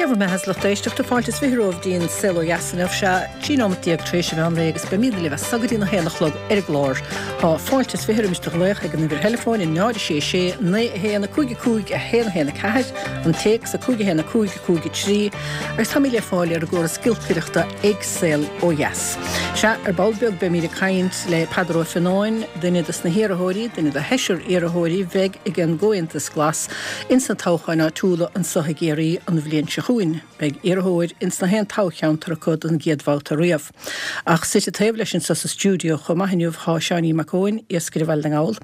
Dé bhur mbeatha a lucht éisteachta, fáilte is 20 romhaibh dtí'n Saol Ó Dheas inniu. Sea, 13 nóimeat tar éis an mheán lae agus beimíd libh as so go dtí'n 1 a chlog ar an gclár. Tá fáilte is 20 roimis do ghlaoch ag an uimhir theileafóin 0 6 6 9 1 5 5 1 1 4, an téacs 5 1 5 5 3, agus táimid le fáil ar an gcóras giolcaireachta ag Saol Ó Dheas. Sea, ar ball beag beimíd ag caint le Peadar Ó Fionnáin, duine dos na hiarrthóirí, duine de sheisear iarrthóirí bheidh ag an gComhaontas Glas Ins na toghcháin áitiúla anso i gCiarraí an bhliain seo chugainn, beidh iarrthóir ins na haon toghcheantar acu don gcéad bhabhta riamh. Ach suite taobh leis anso sa stiúideo chomh maith inniu thá Seáinín Mac Eoin, iascaire Bhaile na nGall.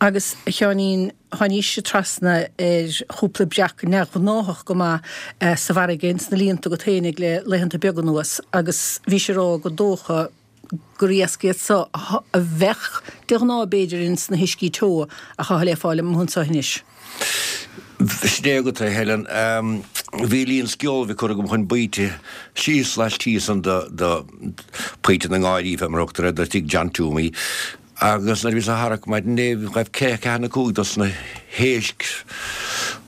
Agus, a Sheáinín, tháinís trasna ar chúpla breac neamhghnáthach go maith sa bhfarraige ins na líonta agat fhéinig le laethanta beaga anuas agus bhís ag rá gur dócha gur iasc iad so a bheadh de ghnáth b'fhéidir ins na huiscí teo ach atá le fáil amuigh anso anois. Sin é agat é, Helen. Bhí líon sceolbhaidh curtha agam chun baoite síos laistíos san de Pointe na nGáirí, fé mar a thugtar air, de tigh John Toomey, agus nuair a bhíos á tharrac maidin inné ghaibh ceathair nó 5 dos na héisc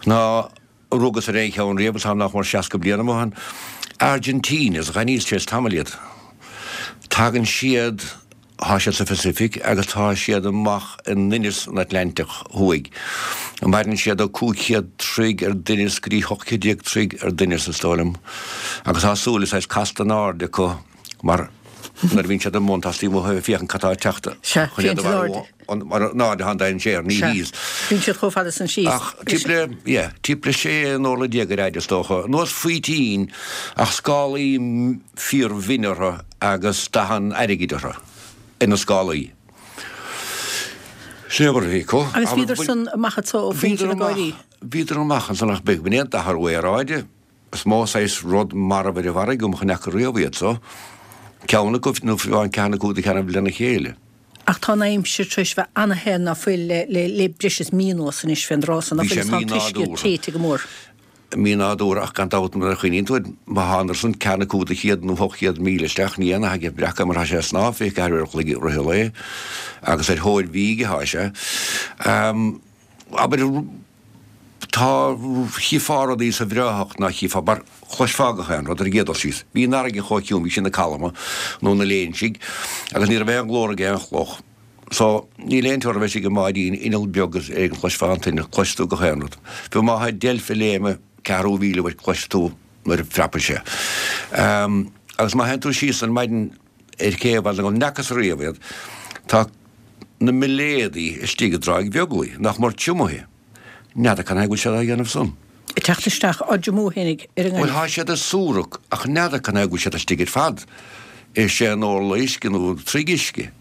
ná Rugas ar aon cheann riamh agus táim nach mór 60 bliain amuigh ann. Argentinas, dh'aithníos tar éis tamaill iad. Tagann siad, thá siad sa Phacific agus tá siad amach i ndoimhneas an Atlantaigh Thuaidh. Maireann siad ó 500 troigh ar doimhneas go dtí 18 troigh ar doimhneas is dóigh liom. Agus tá súile saghas casta in airde acu mar nuair a bhíonn siad i mbun tá siad amuigh ag féachaint cad tá ag teacht Sea, chun iad a mharú. Mar in airde atá an dainséar, ní Sea, thíos. bíonn siad chomh fada san síos. Ach timpeall le, yeah, timpeall le sé n-orla déag ar fhaid is dócha. Nós faoitín ach scálaí fíor-mhinn orthu agus dath an airgid orthu, ar na scálaí. Sin é mar a bhí acu. Agus bhíodar san amach anso ó Phointe na nGáirí? Bhíodar amach ansan ach beag b'in é an t-athrú aeráide. Is mó saghas rud marbh ar an bhfarraige agam a chonaic riamh iad so. Ceann acu, nó fiú amháin ceathair nó cúig de cheannaibh lena chéile. Ach tá an aimsir tar éis bheith ana-the ná fuil le le breis is mí anuas anois fén dtráth so, ná Bhí fuil sé is tá an t-uisce mí-nádúrtha. téite go mór. Mí-nádúrtha ach gan dabht nuair a chuimhníonn tú air, má thánadar san ceathair nó cúig de chéad nó 800 míle isteach ní aon nath aige breac é mar tá sé ag snámh 24 uair an chloig i rith an lae agus ar thóir bhídh atá sé. Abair, tá, chífeá rudaí sa bhreáthacht ná chífeá, mar chloisfeá gach aon rud ar an gcéad dul síos. Bhí an fharraige chomh ciúin, bhí sí ina calma, nó ina léinsigh, agus ní raibh aon ghlór ag aon chloch. So, níl aon teora bheith istigh i mbáidín, inneall beag is éigin chloisfeá an t-inneall, cloisfidh tú gach aon rud. Fiú má tá deilf ag léimeadh ceathrú mhíle uait cloisfidh tú nuair a phreapann sé. Agus má théann tú síos ar maidin, ar cé bhfuil an n'fhacas riamh iad, tá na milléadaí istigh i dTráigh Bheaglaoich, nach mór triomaithe. N'fheadar cad chuige go bhfuil siad á dhéanamh san. Ag teacht isteach á dtriomú fhéinig ar an Bhuel, ngaineamh. thá siad ag súrac, ach n'fheadar cad chuige go bhfuil siad istigh ar fad i sé n-orla uisce nó troigh uisce.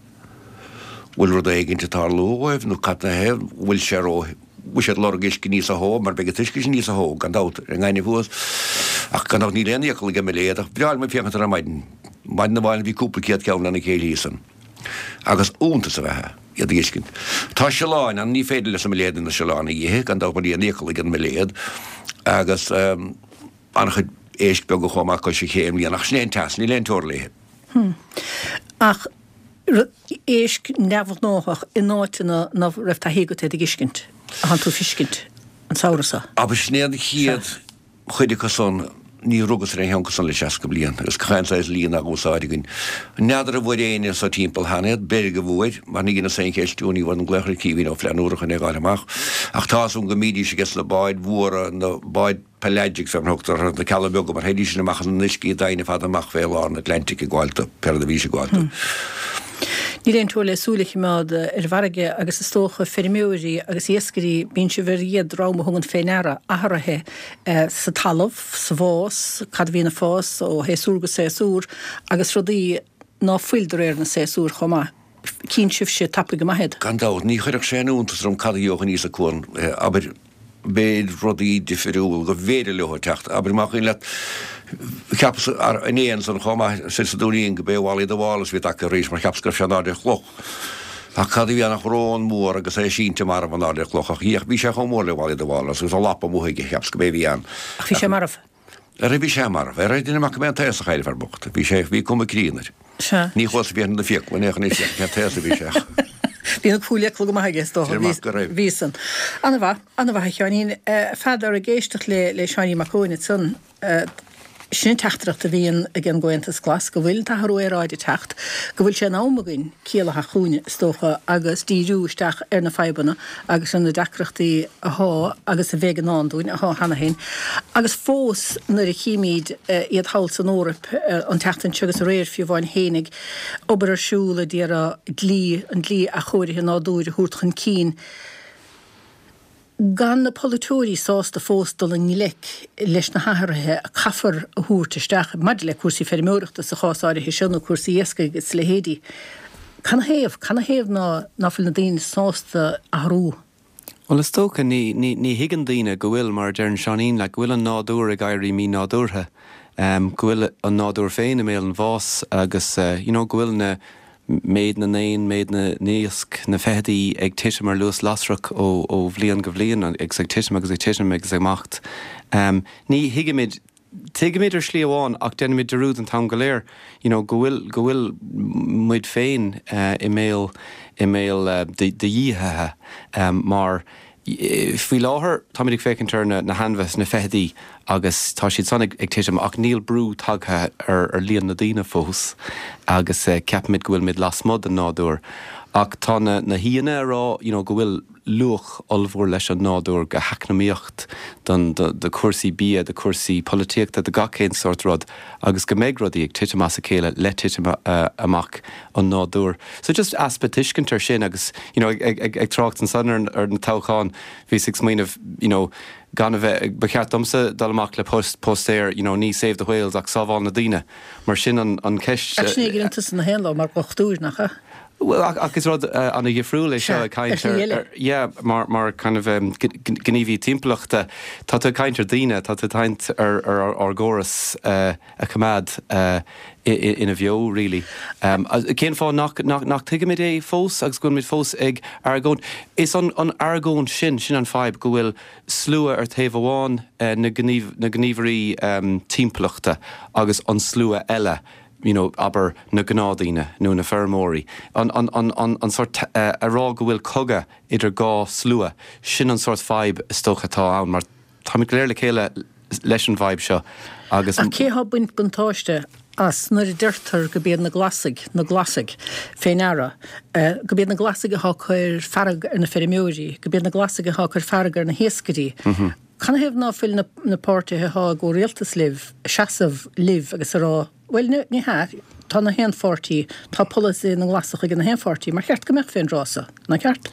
Bhfuil rud éigint ag tarlú dhóibh nó cad 'na thaobh bhfuil sé ró bhfuil siad ag lorg uisce níosa theo mar beidh an t-uisce sin níosa theo gan dabht ar an ngaineamh thuas. Ach gan dabht níl aon fhiacail ag an milléad ach bhreá liom ag féachaint ar an maidin. Maidin amháin bhí cúpla céad ceann lena chéile thíos ann. Agus iontas ab ea é iad a fheiscint. Tá siolláin ann, ní féidir leis na milléadaí na siolláin a ithe, gan dabht mar níl aon fhiacail ag an milléad. Agus an-chuid éisc beaga chomh maith cois an ché i mbliana. Ach sin é an teas, níl aon teora léithe. Ach éisc neamhghnáthach in áiteanna ná raibh taithí agat iad a dh'fheiscint, a thánn tú a feiscint an samhradh so. Abair, sin é an chéad chuid acu san, ní rugas ar aon cheann acu san le 60 bliain, agus gach aon saghas líon á úsáid againn. N'fheadar an bhfuair éinne anso timpeall cheana iad, b'fhéidir go bhfuair, mar ní dheineas aon cheistiú, ní bhfuair an glaoch ar Caoimhín Ó Flannúra chun é a dh'fháil amach. Ach tá's agam go mbídís aige sna báid mhóra, na báid pelagics fé mar a thugtar orthu, na cealla beaga, mar théidís sin amach in uiscí doimhne fada amach fé lár an Atlantic ag gabháil do, pé rud a bhídís ag gabháil do. Níl aon teora le súil a choimeád ar an bhfarraige agus is dócha feirmeoirí agus iascairí, bíonn sibh ar an gcéad dream a thugann fé ndeara athruithe sa talamh, sa bhfás, cad a bhíonn ag fás ó shéasúr go séasúr agus rudaí ná fuil de réir na séasúr chomh maith. Cíonn sibhse tapaidh go maith iad. Gan dabht, ní chuirfeadh sé aon iontas orm cad a gheobhadh aníos an cuan, abair, beidh rudaí difiriúil go mb'fhéidir leo teacht. Abair, más cuimhin leat, cheapas inné ansan chomh maith soir sa Dúinín go b'é Wally the Walrus a bhí tagtha arís mar cheapas go raibh sé in airde ar chloch. Ach cad a bhí ann ach rón mór agus é sínte marbh in airde ar chloch ach bhí sé chomh mór le Wally the Walrus agus a lapa amuigh aige, cheapas go b'é a bhí ann. Ach bhí sé marbh. Ara bhí sé marbh. Ara duine amach go mbeidh an t-aosach air, fear bocht. Bhí sé, bhí cuma críonna air. Sea. Ní chuas a bhí ar na fiacla, ní ach an t-aos a bhí sé. Bhí na cúlfhiacla go maith aige is dócha. Deir mac go raibh. Bhí san. Ana-mhaith, ana-mhaith a Sheáinín. Pheadair, ag éisteacht le le Seáinín Mac Eoin ansan, sin an teachtaireacht a bhíonn ag an gComhaontas Glas, go bhfuil an t-athrú aeráide ag teacht, go bhfuil sé in am againn ciall a theacht chugainn, is dócha, agus díriú isteach ar na fadhbanna agus ar na deacrachtaí athá agus a bheidh i ndán dúinn, athá cheana féin. Agus fós nuair a chímíd iad thall san Eoraip an tseachtain seo agus aréir fiú amháin fhéinig, obair ar siúl a d'iarraidh dlí, an dlí athchóirithe nádúir a thabhairt chun cinn, gan na polaiteoirí sásta fós dul i ngleic leis na hathruithe a caithfear a thabhairt isteach maidir le cúrsaí feirmeoireachta sa chás áirithe seo nó cúrsaí iascaigh agus a leithéidí. Canathaobh? Canathaobh ná ná fuil na daoine sásta athrú? Bhuel, is dócha, ní, ní, ní thuigeann daoine go bhfuil, mar a deireann Seáinín, like, go bhfuil an nádúr ag éirí mí-nádúrtha, go bhfuil an nádúr féin i mbéal an bháis agus, you know, go bhfuil na, méid na n-éan, méid na n-iasc, na feithidí ag titim ar luas lasrach ó, ó bhliain go bhliain agus ag titim agus ag titim agus ag imeacht. Ní thuigimid Tuigimid ar shlí amháin ach déanaimid dearúd an t-am go léir you know go bhfuil, go bhfuil muid féin i mbéal, i mbéal do dhíothaithe mar faoi láthair táimid ag féachaint ar na hainmhithe, na feithidí agus tá siad san ag titim ach níl brú tagtha ar líon na daoine fós agus ceapaimid go bhfuilimid lasmuigh den nádúr ach tá na na haíonna ag rá you know go bhfuil luach ollmhór leis an nádúr go heacnamaíocht, don, do chúrsaí bia, do chúrsaí polaitíochta, do gach aon sórt rud agus go mbeidh rudaí ag titim as a chéile le titim amach an nádúir. So just easpa tuiscint ar sin agus you know ag, ag, ag trácht ansan ar, ar na toghcháin bhíos ag smaoineamh you know gan a bheith, ba cheart domsa dul amach le post, póstaer you know ní save the whales ach sábháil na daoine mar sin an, an cheist. Ach sin é a dheineann tusa na haon lá mar dhochtúir, nach ea? Bhuel, ach is rud an-dhifriúil é seo ag caint ar, yeah, mar, mar kind of gníomhaí timpeallachta. Tá tú ag caint ar daoine, tá tú ag caint ar ár gcóras a choimeád ina bheo, really. Cén fáth nach, nach, nach tuigimid é fós agus go bhfuilimid fós ag argóint? Is an, an argóint sin, sin an fadhb, go bhfuil slua ar taobh amháin, na gníomh, na gníomhairí timpeallachta agus an slua eile, you know, abair, na gnáthdaoine nó na feirmeoirí, an, an, an, an, an sórt, a rá go bhfuil cogadh idir dhá slua, sin an sórt fadhb is dócha atá ann mar táimid go léir le chéile leis an bhfadhb seo agus. Ach cé atá ag baint buntáiste as nuair a deirtear go b'iad na Glasaigh, na Glasaigh, fé ndeara, go b'iad na Glasaigh atá ag cur fearg ar na feirmeoirí, go b'iad na Glasaigh atá ag cur fearg ar na hiascairí. Canathaobh ná fuil na na páirtithe athá i gcomhrialtas libh ag seasamh libh agus a rá, bhuel, ní hea, tá na haon pháirtí, tá polasaithe na nGlasach ag na haon pháirtí, mar cheart go mbeadh fén dtráth so, ná ceart?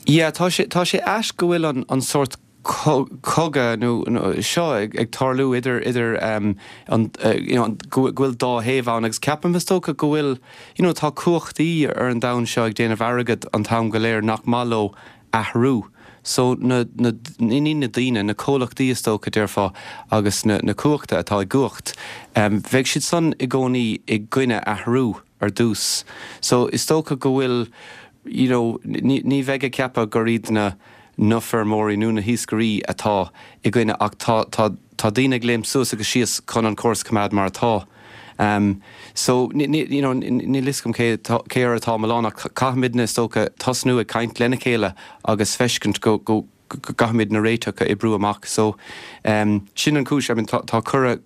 Yeah, tá sé, tá sé ait go bhfuil an, an sórt cogadh nó, nó seo ag, ag tarlú idir, idir um, an, you know, go, go bhfuil dá thaobh ann agus ceapaim is dócha go bhfuil, you know, tá cumhachtaí ar an domhan seo ag déanamh airgead an t-am go léir nach maith leo athrú. So, na, na, ní na daoine, na comhlachtaí is dócha, déarfá, agus na, na cumhachta atá i gcumhacht, bheadh siad san i gcónaí i gcoinne athrú ar dtús. So, is dócha go bhfuil, you know, ní, ní bheidh ag ceapadh gur iad na, na feirmeoirí nó na hiascairí atá i gcoinne ach tá, tá, Tá daoine ag léimt suas agus síos chun an córas a choimeád mar atá. So, you know, níl fhios agam cé cé air atá an milleán ach caithfimidne, is dócha, tosnú ag caint lena chéile agus feiscint go go gcaithfimid na réiteach a oibriú amach. So, sin an chúis, I mean, tá tá cuireadh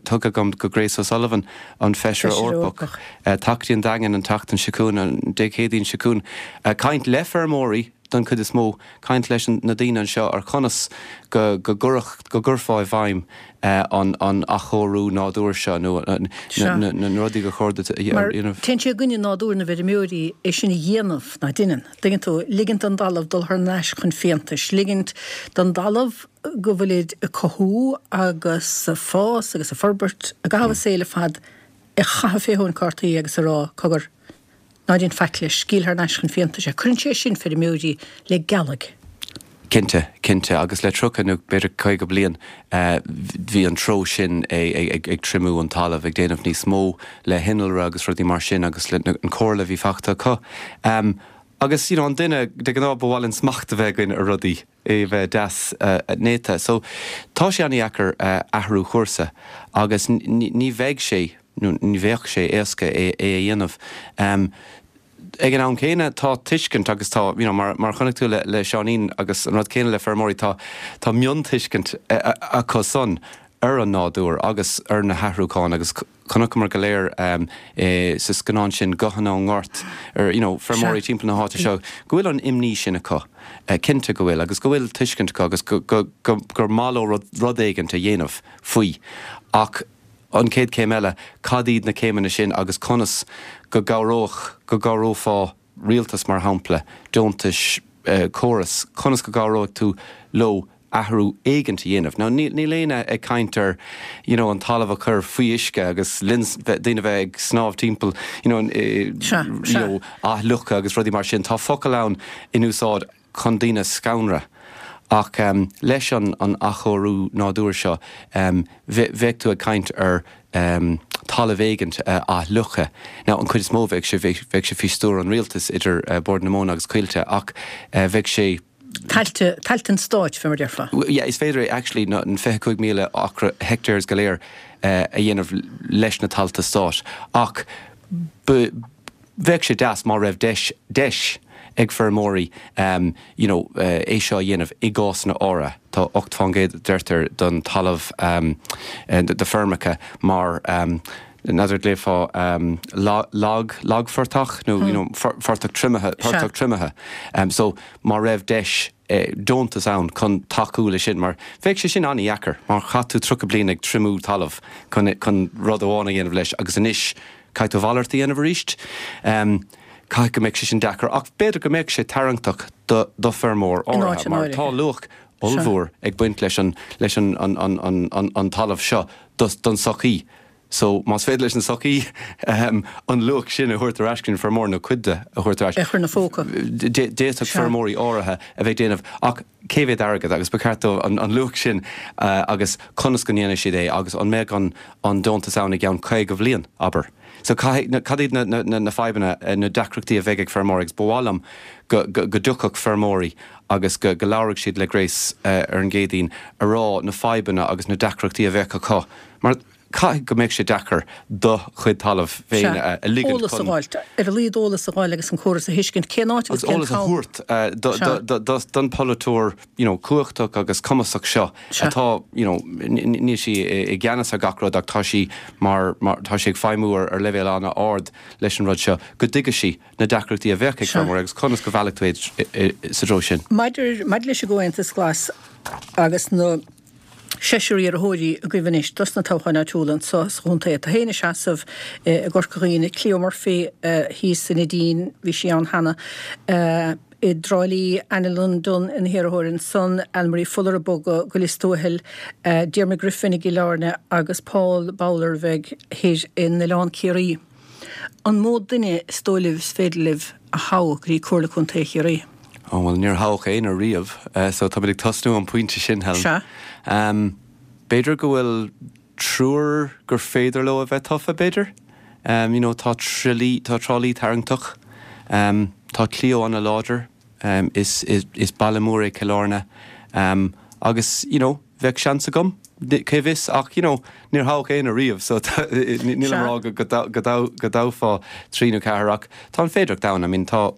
tugtha agam go Grace O'Sullivan, an Feisire Eorpach, teacht go dtí an Daingean an tseachtain seo chugainn, an Dé Céadaoin seo chugainn, caint le feirmeoirí don chuid is mó. caint leis na daoine anseo ar chonas go go gcuirfeá i bhfeidhm an an athchóiriú nádúir seo nó na na rudaí gur chóir duit a dhéanamh. Téann sé i gcoinne nádúr na bhfeirmeoirí é sin a dhéanamh, nach ndeineann? Dtuigeann tú? Ligint don dtalamh dul thar n-ais chun fiántais, ligint don dtalamh go bhfuilid ag cothú agus ag fás agus ag forbairt i gcaitheamh a saoil ar fad a chaitheamh fé thóin cártaí agus a rá, cogar, Ná déan faic leis, scaoil thar n-ais chun fiántais é. Cuireann sé sin feirmeoirí le gealaigh. Cinnte, cinnte. Agus le 30 nó b'fhéidir 50 bliain bhí an treo sin ag triomú an talamh, ag déanamh níos mó le hinnealra agus rudaí mar sin agus le an comhairle a bhí fachta acu. Agus you know an duine, de ghnáth ba mhaith linn smacht a bheith againn ar rudaí, é a bheith deas néata. So tá sé an-dheacair athrú chúrsa agus ní bheidh sé, nó ní bheadh sé éasca é a dhéanamh. Ag an am céanna, tá tuiscint agus tá, you know, mar, mar a chonaic tú le, le Seáinín agus an rud céanna le feirmeoirí, tá, tá miontuiscint acu san ar an nádúr agus ar na hathrúcháin agus chonaiceamar go léir sa scannán sin Guthanna ón nGort ar, you know, feirmeoirí timpeall na háite seo go bhfuil an imní sin acu, cinnte go bhfuil, agus go bhfuil tuiscint acu agus go, go, go, gur maith leo rud, rud éigint a dhéanamh faoi. Ach. An chéad chéim eile, cad iad na céimeanna sin agus conas go gcabhródh, go gcabhrófá rialtas mar shampla, deontais, córas, conas go gcabhróidh tú leo athrú éigint a dhéanamh. Now níl, níl éinne ag caint ar you know an talamh a chur faoi uisce agus linn, daoine bheith ag snámh timpeall you know, you know athfhliuchadh agus rudaí mar sin. Tá focail ann in úsáid chun daoine a scanradh. Ach leis an athchóiriú nádúir seo, bheadh tú ag caint ar talamh éigint a athfhliuchadh. Now, an chuid is mó, bheadh sé, bheadh sé faoi stiúir an rialtais idir Bord na Móna agus Coillte, ach bheadh sé. Tailte, tailte an stáit, fé mar a déarfá. Yeah, is féidir é actually na 25,000 acra, hectares go léir a dhéanamh leis na tailte stáit. Ach ba. Bheadh sé deas má raibh deis, deis ag feirmeoirí you know é seo a dhéanamh i gcásanna áirithe. Tá 8 fán gcéad deirtear don talamh do feirmeacha mar n'fheadar an nglaofá lag, lagphortach nó you know phortach triomaithe, portach triomaithe. So má raibh deis deontas ann chun tacú le sin mar bheadh sé sin an-dheacair mar chaith tú 30 bliain ag triomú talamh chun chun rud amháin a dhéanamh leis agus anois Caithfidh tú a mhalairt a dhéanamh arís. Caithfidh go mbeadh sé sin deacair, ach b'fhéidir go mbeadh sé tarraingteach do do feirmeoir áirithe, mar tá luach ollmhór ag baint leis an leis an an an an an an talamh seo do don sochaí. So más féidir leis an sochaí an luach sin a thabhairt ar ais chuig an feirmeoir nó cuid de a thabhairt ar ais, É a chur ina phóca. d'fhéadfadh feirmeoirí áirithe a bheith ag déanamh ach cé mhéad airgead agus ba cheart dóibh an luach sin agus conas go ndéanfaidh siad é agus an mbeadh an an deontas ann i gceann 50 bhliain, abair. So caithfidh, cad iad na na na fadhbanna, na deacrachtaí a bheidh ag feirmeoirí agus ba mhaith liom go go go dtiocfadh feirmeoirí agus go go labharfadh siad le Grace ar an gCéadaoin a rá na fadhbanna agus na deacrachtaí a bheadh acu mar caithfidh go mbeadh sé deacair do chuid talaimh féin a ligint chun. Eolas a fháil, ar a laghad eolas a fháil agus an córas a thuiscint, cén áit agus cén t-am. Agus eolas a thabhairt don pholaiteoir you know cumhachtach agus cumasach seo atá you know níl sí i gceannas ar gach rud ach tá sí mar tá sí ag feidhmiú ar leibhéal an-ard leis an rud seo, go dtuigfidh sí na deacrachtaí a bheadh ag feirmeoirí agus conas go mheallfaidh tú iad sa treo sin. Maidir leis an gComhaontas Glas agus na. seisear iarrthóirí agaibh anois dos na toghcháin áitiúla anso sa chontae. Tú féin ag seasamh i gCorca Dhuibhne, Cleo Murphy thíos i Neidín, bhí sí ann cheana, i dTrá Lí, Annalyn Dunne ina hiarrthóir ansan, Anne-Marie Fuller ag bogadh go Lios Tuathail, Diarmuid Griffin i gCill Airne agus Paul Bowler a bheidh thoir in Oileán Ciarraí. An mó duine is dóigh libh is féidir libh a thoghadh go dtí Comhairle Contae Chiarraí? Ó, bhuel, níor thoghadh éinne riamh, so táimid ag tosnú ón bpointe sin, Helen. Sea. B'fhéidir go bhfuil triúr gur féidir leo a bheith tofa, b'fhéidir. You know, tá Trá tá Trá Lí tarraingteach. Tá Cleo ana-láidir. Is, is baile mór é Cill Airne. Agus, you know, Bheadh seans agam, cé bhfios, ach you know níor thoghadh éinne riamh so nílim ag rá go dtoghfá trí nó ceathair ach tá an féidearthacht ann. I mean tá,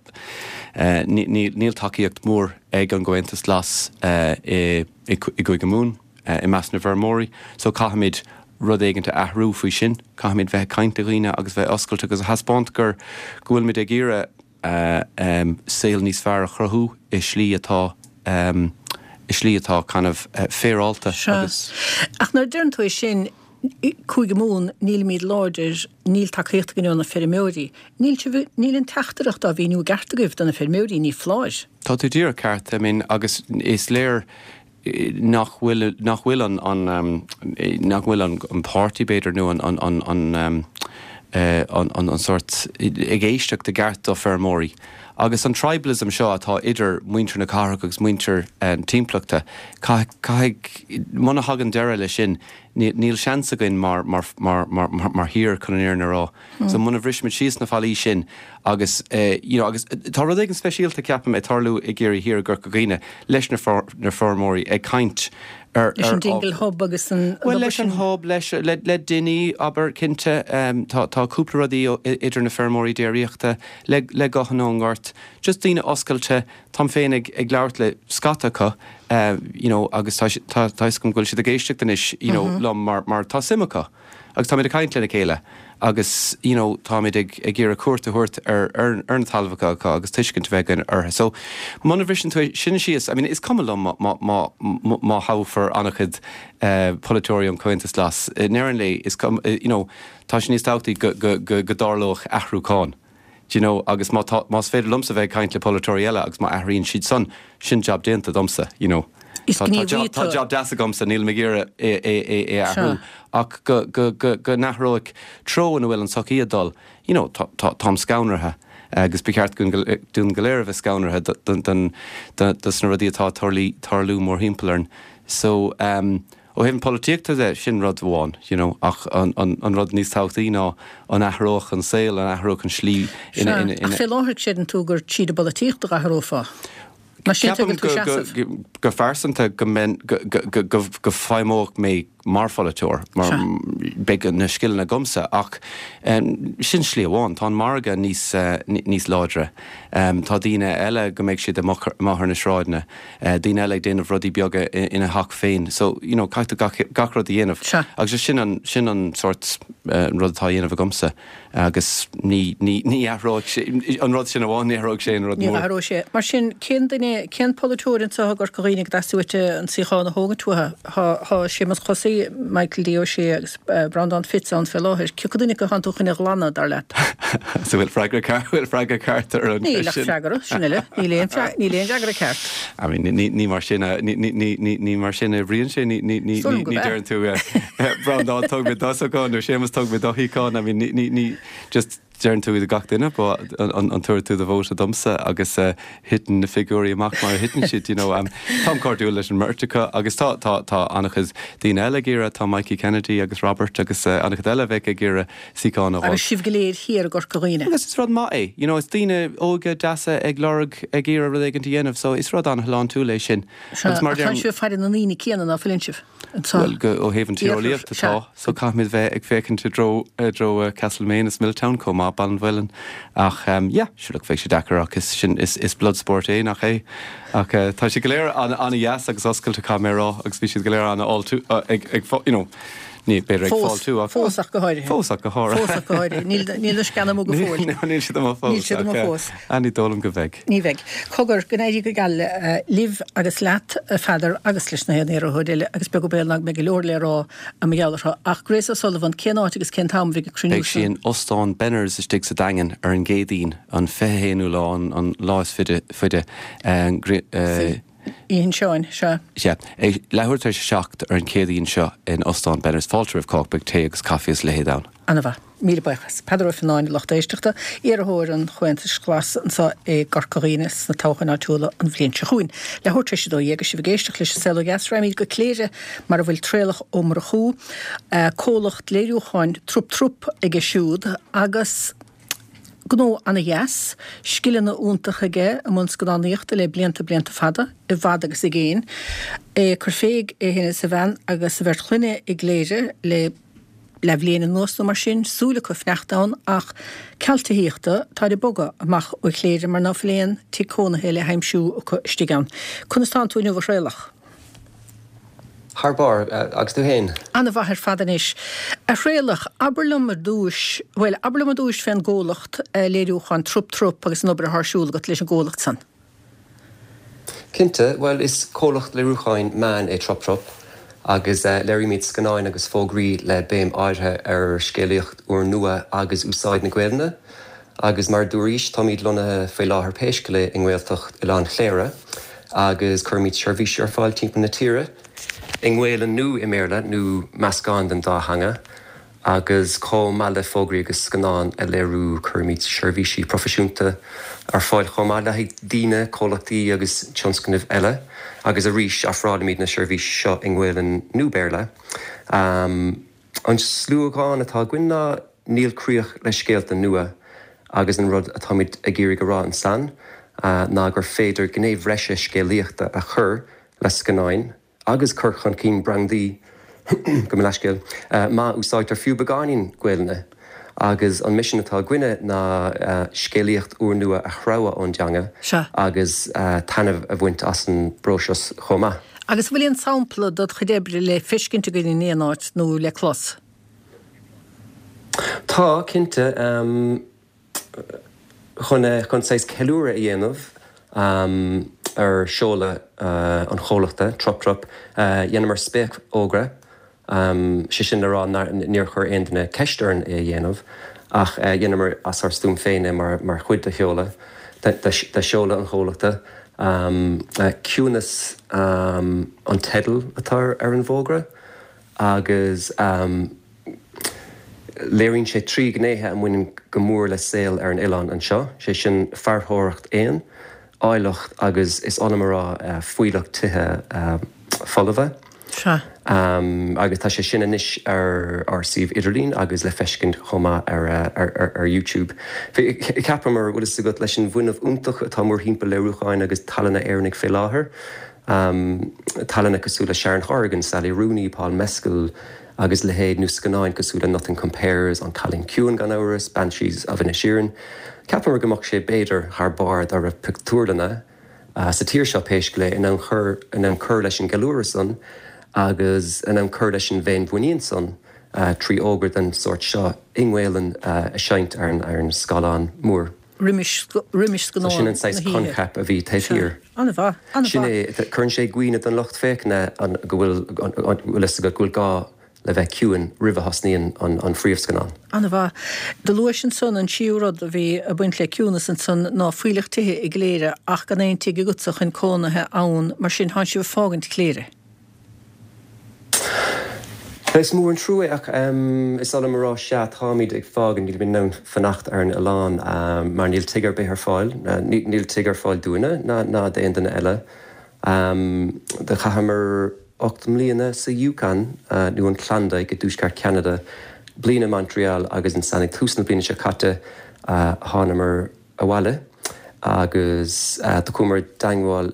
níl tacaíocht mhór ag an gComhaontas Glas i gCúige Mumhan i measc na bhfeirmeoirí so caithfimid rud éigint a athrú faoi sin. Caithfimid bheith ag caint le dhaoine agus bheith oscailte agus a thaispeáint gur go bhfuilimid ag iarraidh saol níos fearr a chruthú i slí atá, i slí atá kind of féaráilte agus. Sea. Ach nuair a deireann tú é sin, Cúige Mumhan, nílimid láidir, níl tacaíocht againn ó na feirmeoirí. Níl sibh, níl an teachtaireacht á mhíniú i gceart agaibh do na feirmeoirí, ní foláir. Tá tú díreach ceart, I mean, agus is léir nach bhfuil, nach bhfuil an, an, nach bhfuil an, an páirtí b'fhéidir nó an, an, an, an, an, an, an sórt ag éisteacht i gceart do feirmeoirí. Agus an tribalism seo atá idir muintir na cathrach agus muintir na timpeallachta, caithfidh, muna thagann deireadh leis sin, níl seans againn mar, mar, mar, mar, mar thír chun an fhírinne a rá. So muna bhrisimid síos na fallaí sin agus, you know, agus tá rud éigin speisialta, ceapaim, ag tarlú i gCiarraí Thiar, i gCorca Dhuibhne, leis na feirmeoirí ag caint ar, Leis an Dingle Hub agus an Bhuel, leis an Hub, leis, le, le Dinny, abair, cinnte, tá, tá cúpla rudaí idir na feirmeoirí déiríochta, le, le Guthanna ón nGort, just daoine oscailte, táim féin ag, ag labhairt le scata acu, you know, agus tá, tá, tá 'fhios agam go bhfuil siad ag éisteacht anois, you know, liom mar, mar tá suim acu agus táimid ag caint lena chéile agus, you know, táimid ag, ag iarraidh cuairt a thabhairt ar, ar, ar na talmhacha acu agus tuiscint a bheith againn orthu. So, muna bhriseann tú é sin síos, I mean, is cuma liom má, má, má, má thoghfar an-chuid polaiteoirí ón Chomhaontas Glas, i ndeireadh an lae, is cuma, you know, tá sé níos tábhachtaí go, go, go, go dtarlódh athrúchán. Do you know, agus má tá, más féidir liomsa bheith ag caint le polaiteoirí eile agus má athraíonn siad san, sin jab déanta domsa, you know. Is Tá, tá gníomhaí job, tá tú. job deas agamsa, nílim ag iarraidh é, é, é, é a athrú Sea. ach go, go, go, go n-athróidh treo ina bhfuil an tsochaí ag dul, you know, tá, tá, táim scanraithe agus ba cheart dúinn go, dúinn go léir a bheith scanraithe do, don, don, do, dos na rudaí atá ag tarlú, tarlú mórthimpeall orainn. So, um, Ó thaobh na polaitíochta de, sin rud amháin, you know, ach an, an, an rud níos tábhachtaí ná an athródh an saol, an athródh an slí ina, ina, ina. Ach fé láthair creideann tú gur tríd an bpolaitíocht a dh'athrófá? Mar sin Ceapaim tuigeann tú go, seasamh. go, go phearsanta go mbeinn, go, go, go, go, go feidhmeodh mé mar pholaiteoir, mar Sea. beidh na scileanna agamsa, ach sin slí amháin. Tá an margadh níos, níos láidre. Tá daoine eile go mbeidh siad amuigh, amuigh ar na sráideanna. daoine eile ag déanamh rudaí beaga ina theach féin. So, you know, caithfidh tú gach, gach rud a dhéanamh. Sea. Agus sin an, sin an sórt, an rud atá á dhéanamh agamsa agus ní, ní, ní athróidh sé, an rud sin amháin, ní athróidh sé aon rud Ní mór. athróidh sé. Mar sin, cén duine, cén polaiteoir anseo i gCorca Dhuibhne go dteastaigh uait an suíochán a thógaint uathu? Tá, tá Séamus Chosaí, Michael D. Ó Sé agus Breandán Fitz ann fé láthair. Cé acu duine acu atánn tú chun a ghlanadh, dar leat? So bhfuil freagra ceart, bhfuil freagra ceart ar an Níl cheist ach sin? freagra, sin uile. Níl aon fre, níl aon fhreagra ceart. I mean, ní, ní mar sin a, ní, ní, ní, ní, ní mar sin a oibríonn sé, ní, ní, ní, Is dóigh ní, liom go ní b'ea. deireann tú, eh, Breandán, tóg mé do shuíochán, nó Séamus, tóg mé do shuíochán, I mean, ní, ní, ní, just deireann tú do gach duine, ba, an, an, an tabharfaidh tú do vóta domsa agus, eh, thiteann na figiúirí amach mar a thiteann siad, you know. Um, táim cairdiúil leis an mbeirt acu agus tá, tá, tá an-chuid daoine eile ag iarraidh, tá Mikey Kennedy agus Robert agus, eh, an-chuid eile a bheadh ag iarraidh suíochán a Agus sibh go léir thiar i gCorca Dhuibhne. Agus is rud maith é. You know, is daoine óga deasa ag lorg, ag iarraidh rud éigint a dhéanamh, so is rud an-shláintiúil é sin. Sea, Agus mar ach tánn deirim. sibh ag faire na ndaoine céanna, ná fuileann sibh? Anseo. Bhuel, go, ó thaobh an Iarthar, tíreolaíochta sea. tá, so caithfimid bheith ag féachaint i dtreo, i dtreo Castlemaine is Milltown chomh maith, Ballinvillane. Ach ehm, yeah, sure look, bheidh sé deacair ach is sin, is, is blood sport é, nach é? Ach eh, tá siad go léir an-, an-dheas agus oscailte, caithfidh mé a rá, agus bhí siad go léir an-fháiltiú, ag, ag, you know, Ní, b'fhéidir ag Fós, fáiltiú ach. fós ach go háirithe. Fós ach go háirithe. Fós ach go háirithe. Níl, níl na sceana amuigh go fóill. Níl, níl siad amuigh fós. Níl siad amuigh ach, fós. eh, ní dóigh liom go mbeidh. Ní bheidh. Cogar, go n-éirí go geal libh agus leat, a Pheadair, agus leis na haon iarrthóir eile, agus beag an baol ná go mbeidh go leor le rá i mo gheall orthu. Ach Grace O'Sullivan, cén áit agus cén t-am a bheidh an cruinniú Beidh sí sin? in Ostán Benners istigh sa Daingean ar an gCéadaoin, an 21ú lá, an, an lá is fide, faide, eh, eh, Oíche Sheáin, sea. Sea. Ag leathuair tar éis a 7 ar an Chéadaoin seo in Ostán Benners. Fáilte roimh chách, beidh tae agus caife is a leithéid ann. Ana-mhaith. Míle buíochas. Peadar Ó Fionnáin, a lucht éisteachta, iarrthóir an Chomhaontais Ghlais anseo i gCorca Dhuibhne sna toghcháin áitiúla an bhliain seo chugainn. Leathuair tar éis 12 agus sibh ag éisteacht leis an Saol Ó Dheas, raghaimid go Cléire mar a bhfuil Traolach Ó Murchú, comhlacht léiriúcháin Trup Trup aige siúd agus, Gnó ana-dheas, scileanna iontacha aige i mbun scannánaíochta le blianta blianta fada, i bhfad agus i gcéin. É ag cur fé é féin is a bhean agus a bheirt chlainne i gCléire le leathbhliain anuas nó mar sin, súil acu fanacht ann ach ceal tithíochta, táid ag bogadh amach ó Chléire mar ná fuil aon tigh cónaithe le haimsiú acu istigh ann. Conas tánn tú inniu a Thraolach? Thar barr, agus tú fhéin? Ana-mhaith ar fad anois. A Thraolach, abair liom ar dtúis, bhuel, abair liom ar dtúis fén gcomhlacht léiriúcháin Trup Trup agus an obair atá ar siúl agat leis an gcomhlacht san. Cinnte, bhuel, is comhlacht léiriúcháin meán é Trup Trup agus léirímid scannáin agus fógraí le béim áirithe ar scéalaíocht úrnua agus úsáid na Gaelainne. Agus mar a dúraís, táimid lonnaithe faoi láthair pé scéal é i nGaeltacht Oileán Chléire agus cuirimid seirbhísí ar fáil timpeall na tíre, i nGaelainn nó i mBéarla nó meascán den dá theanga. Agus chomh maith le fógraí agus scannáin a léiriú, cuirimid seirbhísí proifisiúnta ar fáil chomh maith le haghaidh daoine, comhlachtaí agus tionscnaimh eile. Agus arís, ofrálaimid na seirbhísí seo i nGaelainn nó Béarla. An sluagán atá againn ná 'Níl críoch le scéalta nua' agus an rud atáimid ag iarraidh a rá ansan ná gur féidir gné bhreise scéalaíochta a chur le scannáin, agus cur chun cinn brandaí, gabh mo leithscéal, má úsáidtear fiú beagáinín Gaelainne. Agus an misean atá againne ná scéalaíocht úrnua a threabhadh ón dteanga agus taitneamh a bhaint as an bpróiseas chomh maith. Agus an bhfuil aon sampla dod chuid oibre le feiscint againn in aon áit nó le clos? Tá, cinnte. Chun chun saghas ceiliúradh a dhéanamh ar seoladh an chomhlachta, Trup Trup, dheineamar spéacfhógra, sé sin le rá níor chuir aon duine ceist orainn é a dhéanamh, ach dheineamar as ár stuaim féin é mar chuid de sheoladh de sheoladh an chomhlachta. Ciúnas an teideal atá ar an bhfógra agus. Léiríonn sé trí ghnéithe a mbaineann go mór le saol ar an oileán anseo, sé sin fairtheoireacht éan, áilleacht agus, is oth liom a rá, fuílleach tithe folmha. Sea. Agus tá sé sin anois ar ár suíomh idirlín agus le feiscint chomh maith ar YouTube. Cheapamar, bhfuil fhios agat, leis an bhfuinneamh iontach atá mórthimpeall léiriúcháin agus tallanna Éireannaigh fé láthair, tallanna cosúil le Sharon Horgan, Sally Rooney, Paul Mescal, agus leithéid, nó scannáin cosúil le Nothing Compares, An Cailín Ciúin gan amhras, Banshees of Inisherin. Cheapamar go mbeadh sé b'fhéidir thar barr dá raibh pictiúrlanna sa tír seo pé scéal é in ann cur in ann cur leis an gceiliúradh san agus in ann cur leis an bhféinmhuinín san trí fhógra den sórt seo i nGaelainn a seinnt ar an ar an scáileán mór. roimis roimis So sin an saghas coincheap a bhí taobh thiar. An-mhaith, an-mhaith. Sin é, cuireann sé i gcuimhne don lucht féachana an go bhfuil, bhfuil fhios agat, go bhfuil gá le bheith ciúin roimh a thosnaíonn an phríomhscannán. An-mhaith. Do luais ansan an tríú rud a bhí ag baint le ciúnas ansan ná fuílleach tithe i gCléire ach gan aon tigh agatsa chun cónaithe ann, mar sin thánn sibh ag fágaint Chléire. Is mór an trua é ach is oth liom a rá, sea, táimid ag fágaint, nílimid in ann fanacht ar an oileán mar níl tigh ar bith ar fáil, níl tigh ar fáil dúinne ná d'aon duine eile. Do chaitheamar 8 mbliana sa Yukon, nó an Klondike i dtuaisceart Cheanada, bliain i Montreal agus ansan ag tús na bliana seo caite thánamar abhaile agus do chuamar i dteangmháil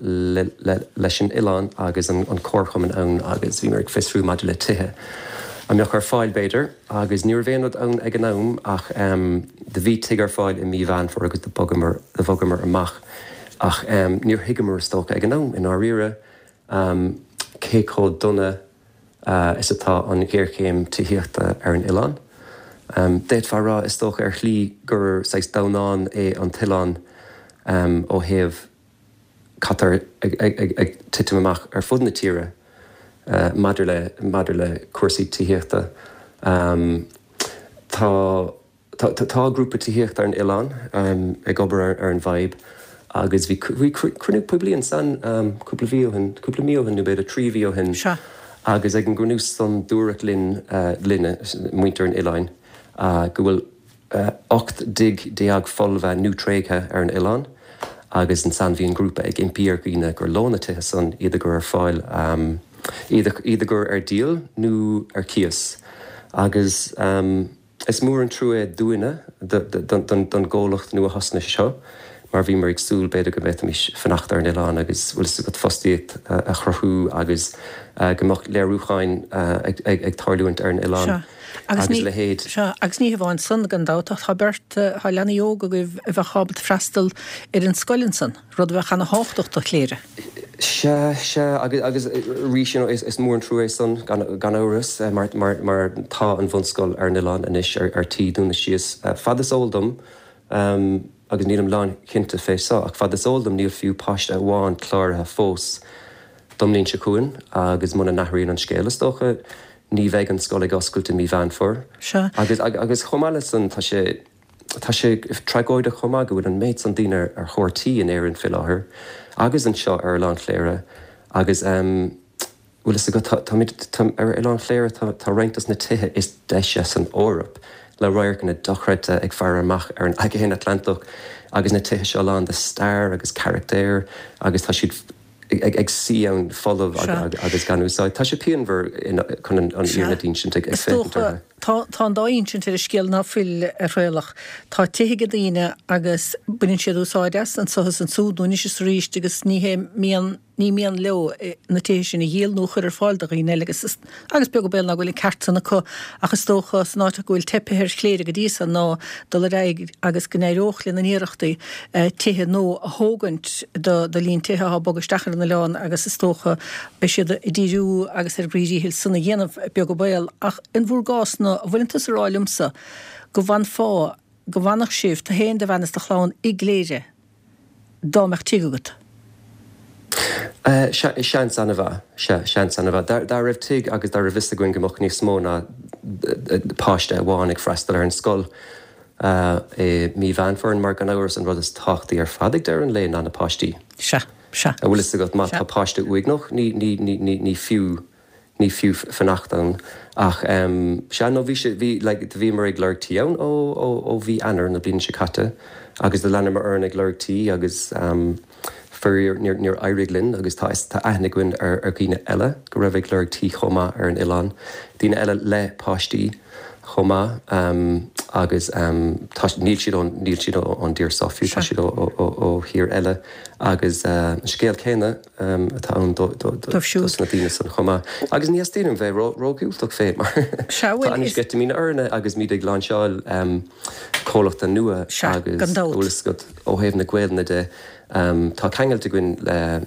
leis an oileán agus an comharchumann ann agus bhíomar ag fiosrú maidir le tithe a mbeadh ar fáil b'fhéidir agus ní raibh aon rud ann ag an am ach do bhí tigh ar fáil i mí Mheán Fómhair agus do bhogamar do bhogamar amach ach níor thuigeamar is dócha ag an am i ndáiríre cé chomh dona is atá an ghéarchéim tithíochta ar an oileán. D'fhéadfá a rá, is dócha, ar shlí gur saghas damhnán é an t-oileán ó thaobh cad tá ag titim amach ar fud na tíre maidir le maidir le cúrsaí tithíochta. Tá. Tá grúpa tithíochta ar an oileán ag obair ar an bhfadhb agus bhí cruinniú poiblí ansan cúpla mhí ó shin, cúpla mí ó shin nó b'fhéidir 3 mhí ó shin agus ag an gcruinniú san dúradh linn, linne, muintir an oileáin, go bhfuil 18 dtigh folmha nó tréigthe ar an oileán agus ansan bhí an grúpa ag impí ar dhaoine gur leo na tithe san iad a gcur ar fáil, iad a gcur ar díol nó ar cíos agus. Is mór an trua é dúinne, don gcomhlacht nua-thosnaithe seo, mar bhíomar ag súil b'fhéidir go bhféadfaimis fanacht ar an oileán agus, bhfuil fhios agat, fostaíocht a chruthú agus go mbeadh léiriúcháin ag tarlúint ar an oileán agus a leithéid. Sea, agus ní hamháin san, gan dabht, ach tá beirt, tá leanaí óga agaibh a bheadh ábalta freastal ar an scoil ansan. Rud a bheadh ana-thábhachtach do Chléire. Sea, sea, agus, agus arís, you know, is, is mór an trua é san, gan, gan amhras, mar, mar, mar tá an bhunscoil ar an oileán anois ar, ar tí dúnadh síos. Fad is eol dom, agus nílim lánchinnte fé so, ach fad is eol dom níl fiú páiste amháin cláraithe fós don mbliain seo chugainn agus muna n-athraíonn an scéal, is dócha, ní bheidh an scoil ag oscailt i mí Mheán Fómhair. Sea. Agus, agus chomh maith le san, tá sé, Tá sé tragóideach chomh maith go bhfuil an méid san daoine ar thóir tí in Éirinn fé láthair agus anseo ar Oileán Chléire agus. Bhfuil fhios agat, tá, táimid, tá, ar Oileán Chléire tá, tá roinnt dos na tithe is deise san Eoraip, le radharcanna dochreidte ag faire amach ar an Aigéan Atlantach agus na tithe seo lán de stair agus carachtair agus tá siad ag, ag suí ann folamh agus gan úsáid. Tá sé pianmhar chun an fhírinne d'insint ag féachaint orthu. Tá, tá an dá insint ar an scéal ná fuil, a Thraolach. Tá tithe ag daoine agus baineann siad úsáid as, anso is ansúd nó anois is arís agus ní hé mian, ní mian leo na tithe sin a dhíol nó a chur ar fáil do dhaoine eile agus agus beag an baol ná go bhfuil an ceart san acu ach is dócha san áit go bhfuil teipthe ar Chléire go dtí so ná dul ar aghaidh agus go n-éireodh lena n-iarrachtaí tithe nua a thógaint do do líon tithe atá ag bogadh isteach ar an oileán agus is dócha beidh siad ag díriú agus ar a gcroí díchill san a dhéanamh beag an baol ach in bhur gcás-na an bhfuileann tusa a rá liomsa go bhfanfá go bhfanfadh sibh, tu fhéin, do bhean is do chlann i gCléire dá mbeadh tigh agat? Sea, seans an-mhaith. Sea, seans an-mhaith. Dá raibh tigh agus dá raibh fhios againn go mbeadh níos mó ná páiste amháin ag freastal ar an scoil i mí Mheán Fómhair, mar gan amhras an rud is tábhachtaí ar fad ag deireadh an lae ná na páistí. Sea, sea. An bhfuil fhios agat, má tá páiste uaigneach, ní, ní, ní, ní fiú. Ní fiú fanacht ann. Ach sea, no bhí sé, bhí, like, do bhíomar ag lorg tí ann ó, ó, ó mhí Eanáir na bliana seo caite agus do leanamar orainn ag lorg tí agus faraor níor, níor éirigh linn agus tá, tá aithne againn ar, ar dhaoine eile go raibh ag lorg tí chomh maith ar an oileán, daoine eile le páistí chomh maith agus tá, níl siad ón, níl siad ón dtír seo fiú, tá siad ó, ó, ó, ó thír eile agus an scéal céanna. atá ann dos na daoine san chomh maith. Agus ní theastaíonn uaim bheith ró-dhiúltach fé mar tá an-sceitimíní orainne agus muid ag lainseáil comhlachta nua agus an bhfuil fhios agat ó thaobh na Gaelainne de tá ceangailt againn le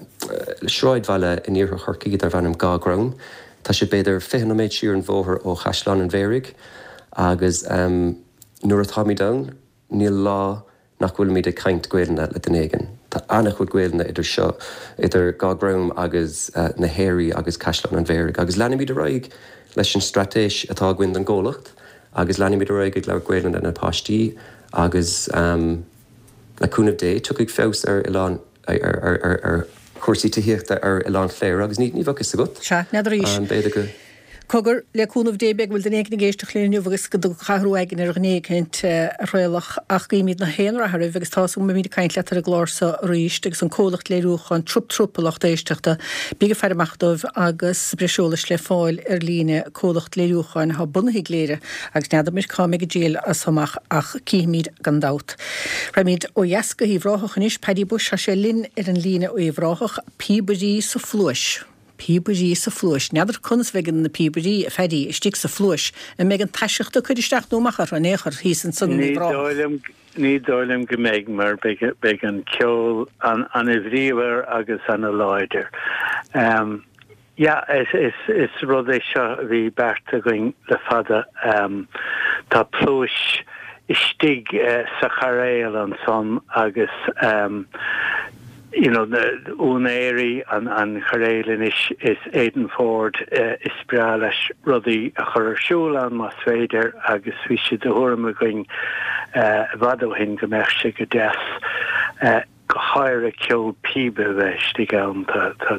sráidbhaile in iarthar Chorcaí darb ainm Gáth Grom. Tá sé b'fhéidir 20 nóiméad siar an bhóthar ó Chaisleán an Bharraigh agus nuair atáimid ann níl lá nach bhfuilimid ag caint Gaelainne le duine éigin. Tá an-chuid Gaelainne idir seo, idir Gáth Grom agus na hAoraí agus Caisleán an Bharraigh. Agus leanfaimid ar aghaidh leis an straitéis atá againn don gcomhlacht agus leanfaimid ar aghaidh ag labhairt Gaelainne le na páistí agus le cúnamh Dé tiocfaidh feabhas ar oileán, ar chúrsaí tithíochta ar Oileán Chléire agus ní bheadh fhios agat. Sea, n'fheadar arís. B'fhéidir go. Cogar, le cúnamh Dé, beidh go bhfuil duine éigin ag éisteacht linn inniu agus go dtiocfaidh athrú aigne ar dhuine éicint, a Thraolach, ach guímid na haon rath oraibh agus tá's agam go mbeimid ag caint leat ar an gclár seo arís agus an comhlacht léiriúcháin Trup Trup a lucht éisteachta. Bíg ag faire amach dóibh agus breis eolais le fáil ar líne, comhlacht léiriúcháin atá bunaithe i gCléire agus n'fheadar muid cá mbeidh a dtriall as so amach ach cífimid gan dabht. Raghaimid ó dheas go hUíbh Ráthach anois, Paddy Bushe, tá sé linn ar an líne ó Uíbh Ráthach, Píobairí sa Phluais. Píobairí sa phluais. N'fheadar conas a bheidh na píobairí, a Phaddy, istigh sa phluais. An mbeidh an taiseacht ag cur isteach nó amach orthu in aon chor thíos ansan in Uíbh Ráthach? Ní dóigh liom go mbeidh mar beidh an ceol an-bhríomhar agus an-láidir. Yeah, is rud é seo a bhí beartaithe againn le fada. Tá pluais istigh sa chairéal ansan agus you know na úinéirí an an chairéil anois is Aidan Ford is breá leis rudaí a chur ar siúl ann más féidir agus bhí sé de thuairim againn i bhfad ó shin go mbeadh sé go deas go háirithe ceol píbe a bheith istigh ann. Tá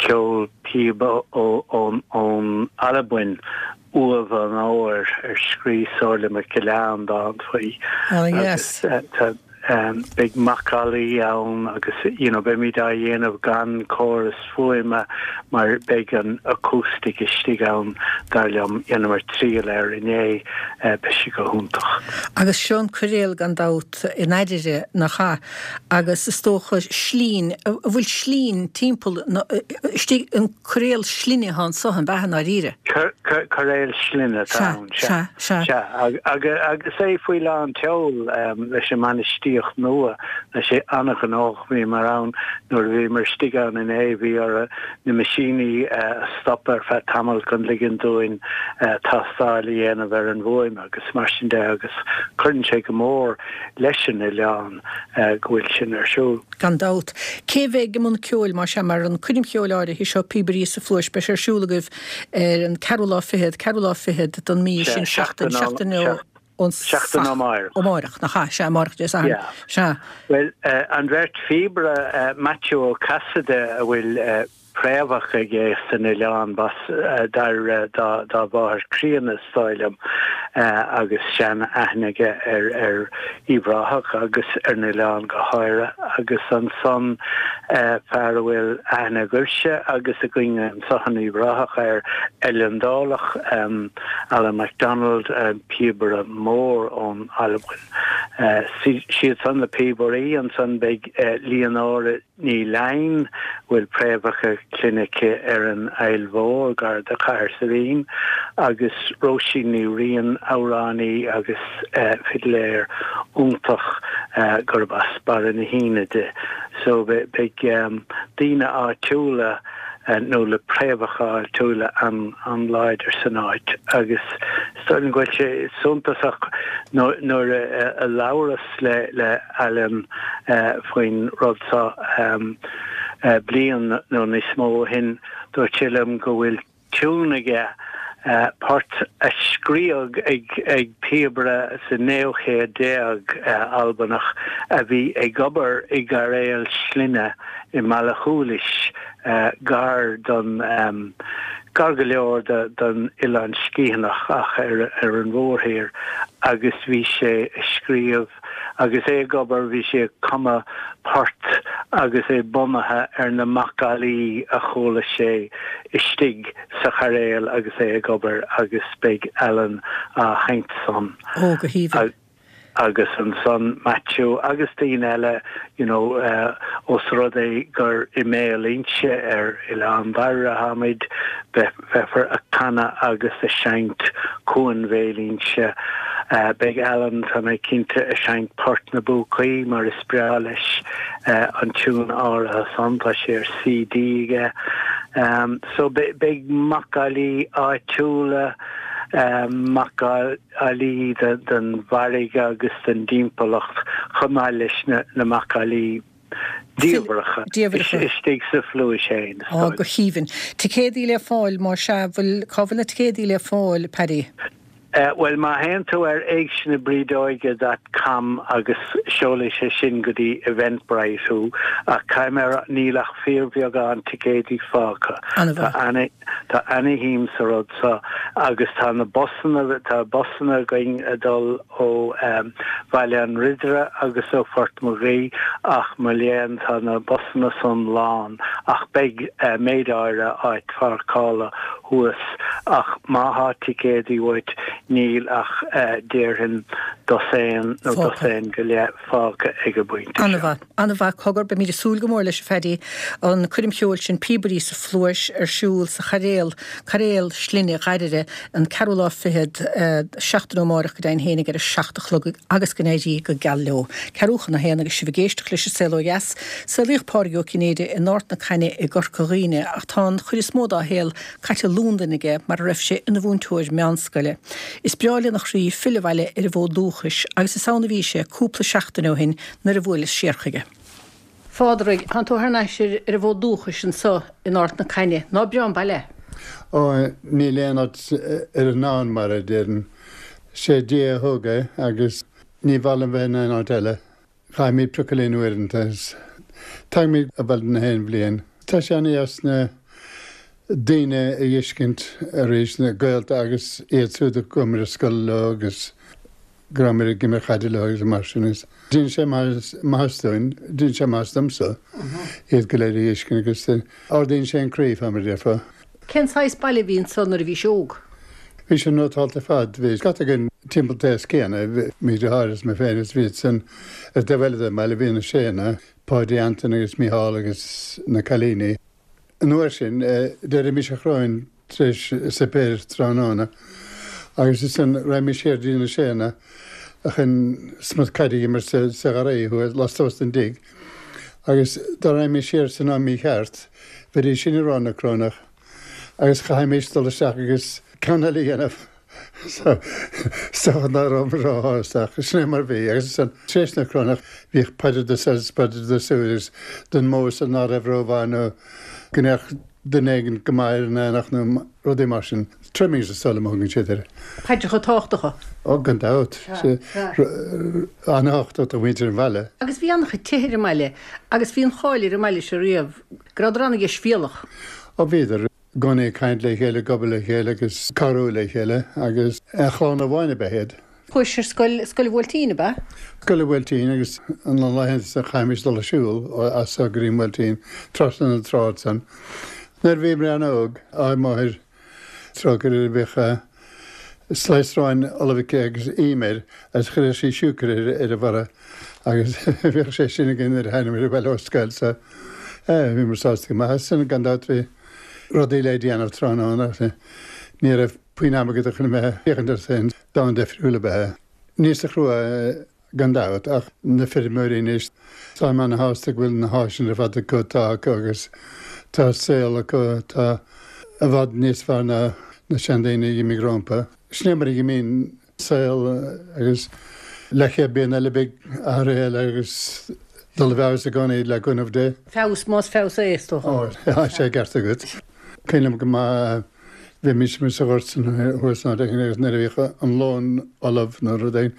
ceol píbe ón ón Albain Uamh an Óir ar scríobh Somhairle MacGilleáin dán faoi agus tá beidh macallaí ann agus you know beimid á dhéanamh gan córas fuaime mar beidh an acoustic istigh ann dar liom. Dheineamar triail air inné, beidh sé go hiontach. Agus seo an coiréal gan dabht in Airdrie, nach ea? Agus is dócha slinn, an bhfuil slinn timpeall na, istigh, an coiréal slinne atá anso, an b'ea i ndáiríre? Coiréal slinne atá ann, sea. Sea, sea. Sea, agus é faoi lán tseoil leis an mbainistíocht nua, tá sé an-ghnóthach, bhíomar ann nuair a bhíomar istigh ann inné, bhí orthu na meaisíní a stopadh ar feadh tamaill chun ligean dúinn tástáil a dhéanamh ar an bhfuaim agus mar sin de agus cuireann sé go mór leis an oileán go bhfuil sin ar siúl. Gan dabht. Cé a bheidh i mbun ceoil, más ea, mar an coirm cheoil áirithe seo, Píobairí sa Phluais, beidh sé ar siúl agaibh ar an ceathrú lá fichead, ceathrú lá fichead den mí sin, seachtain, seachtain ón Seachtain amáireach. Amáireach, nach ea? Sea, amáireach Dé Sathairn. Yeah. Sea. Bhuel, an bheirt phíobaire, Maitiú Ó Casaide, a bhfuil. préamhacha aige san oileán, b'as Doire dá mháthair chríonna is dóigh liom, agus sean-aithne aige ar Uíbh Ráthach agus ar an oileán go háirithe. Agus ansan fear a bhfuil aithne agaibhse agus againn anso in Uíbh Ráthach air, Eilean Dálach, Alan McDonald, píobaire mór ón Albain. Siad san na píobairí. Ansan beidh Leonora Ní Leighin, a bhfuil préamhacha clainne aici ar an Aill Mhór, gar do Chathair Saidhbhín, agus Róisín Ní Riain, amhránaí agus fidléir iontach gurb as Barra na hAoine di. So beidh daoine áitiúla nó le préamhacha áitiúla an-láidir san áit agus is dóigh liom go bhfuil sé suntasach nuair a labhras le le Alan faoin rud seo bliain nó níos mó ó shin, dúirt sé liom go bhfuil tiún aige, port a scríodh ag píobaire sa naoú chéad déag, Albanach, a bhí ag obair i gcairéal slinne i mBallachualisg, gar don, gar go leor don Oileán Sgiathanach ach ar an mhórthír, agus bhí sé ag scríobh. Agus é ag obair bhí sé ag cumadh port agus é bunaithe ar na macallaí a chuala sé istigh sa chairéal agus é ag obair agus beidh Alan á sheinnt san. Ó, go haoibhinn. Agus ansan Maitiú agus daoine eile you know ós rud é gur i mBéal Inse ar Oileán Dhoire atáimid, Beifear ag canadh agus ag seinnt Cuan Bhéal Inse. Beidh Alan, tá mé cinnte, ag seinnt Port na bPúcaí mar is breá leis an tiún áirithe san, tá sé ar CD aige. So beidh macallaí áitiúla, macallaí den bhfarraige agus den dtimpeallacht chomh maith leis na macallaí diamhracha istigh sa phluais féin, is dóigh. Á, go haoibhinn. Ticéadaí le fáil, más ea, bhfuil, cá bhfuil na ticéadaí le fáil, Paddy? Bhuel, má théann tú ar éigsenabrideoige dot com agus seolfaidh sé sin go dtí Eventbrite thú, ach caithfidh mé a rá, níl ach fíorbheagán ticéadaí fágtha. An-mhaith. Tá ana, tá ana-shuim sa rud seo agus tá na busanna, tá busanna againn ag dul ó Bhaile an Ridire agus ó Phort Mhuigí ach mo léan tá na busanna san lán ach beidh méid áirithe áit pháirceála thuas ach má thá ticéadaí uait níl ach déarfainn dosaen nó dosaen go leith fágtha ag an bpointe seo. An-mhaith. An-mhaith. Cogar, beimid ag súil go mór leis a Phaddy. An coirm cheoil sin Píobairí sa Phluais ar siúl sa Chairéal, Cairéal Slinne Dhoire, an ceathrú lá fichead, seachtain ó amárach go deimhin fhéinig ar a 7 a chlog agus go n-éirí go geal leo. Ceathrú chun a haon agus sibh ag éisteacht leis an Saol Ó Dheas. Saolaíodh Pádraig Ó Cinnéide in Ard na Caithne i gCorca Dhuibhne ach tá an chuid is mó dá shaol caite i Londain aige mar a raibh sé ina mhúinteoir meánscoile. Is breá lena chroí filleadh abhaile ar an bhfód dúchais agus is ann a bhí sé cúpla seachtain ó shin nuair a bhuaileas siar chuige. Phádraig, tánn tú thar n-ais ar an bhfód dúchais anso in Ard na Caithne. Ná breá an baile é? Ó, níl aon áit ar an ndomhan mar é, déarfainn. Sé Dia a thóg é agus ní mhaith liom bheith in aon áit eile. Caithimid priocadh linn uaireanta. Tagaimid abhaile na haon bhliain. Tá sé ana-dheas na daoine a fheiscint arís, na gaolta agus iad siúd a chuamar ar scoil leo agus go rabhamar ag imirt chaide leo agus mar sin. Déanann sé maitheas dúinn, déanann sé maitheas domsa iad go léir a fheiscint agus ardaíonn sé an croí, fá mar a déarfá. Cén saghas baile a bhí anso nuair a bhís óg? Bhí sé nótálta ar fad. Bhí scata againn timpeall an t-aos céanna, mo dheartháir is mé féin agus bhí iad san ar an taobh eile den mbaile, bhí na Séanna, Páidí Antain agus Mícheál agus na cailíní. An uair sin, d'éirímis a chróin tar éis suipéir tráthnóna agus ansan raghaimís siar dtí na Séanna chun smut caide a imirt sa gharraí thuas lastuas den dtigh agus dá raghaimís siar san am mícheart bheidís sin ag rá na Crónach agus chaithfimís dul isteach agus ceann eile a dhéanamh. So, is dócha ná rabhamar róshásta ach sin é mar bhí agus ansan tar éis na Crónach bhíodh paidir do seo is paidir do siúd agus don mbó san ná raibh rómhaith nó go mbeadh duine éigin go maith ar an aonach nó rudaí mar sin. Trimmings is dóigh liom a thugann siad air. Paidreacha tábhachtacha. Ó, gan dabht. An-tábhachtach do mhuintir an bhaile. Agus bhí an-chuid tithe ar an mbaile agus bhí an cháil ar an mbaile seo riamh go rabhadar an-dheisbhéalach. Ó bhíodar i gcónaí ag caint le chéile, ag obair le chéile agus cabhrú le chéile agus aon chlann amháin ab ea iad. Chuais ar scoil, Scoil an Bhuailtín, ab ea? Scoil an Bhuailtín agus na laethanta san chaithimis dul ag siúl as so go dtí an Buailtín, trasna na trá ansan. Nuair a bhíomar an-óg, ár máthair, trócaire uirthi, bhíodh slice aráin ullamh aici agus im air agus chuireadh sí siúcra ar a bharra agus bhíodh sé sin againn nuair a thánamar abhaile ó scoil so bhíomar sásta go maith as sin. Gan dabht bhí rudaí le déanamh tráthnóna ach ní raibh puinn ama agat chun a bheith ag féachaint ort féin. Domhan difriúil ab ea é. Níosa chrua gan dabht, ach na feirmeoirí anois, táim ana-shásta go bhfuil na háiseanna ar fad acu atá acu agus tá saol acu atá i bhfad níos fearr ná na seandaoine a dh'imigh rómpa. Sin é mar a dh'imíonn saol agus leathchéad bliain eile beidh athruithe eile agus dul i bhfeabhas i gcónaí le cúnamh Dé. Feabhas, más feabhas é, is dócha. Ó, tá sé ceart agat. Cuimhin liom go maith Bhímis amuigh sa ghort san thuas san áit éigin agus nuair a bhíodh an lón ullamh nó rud éigin,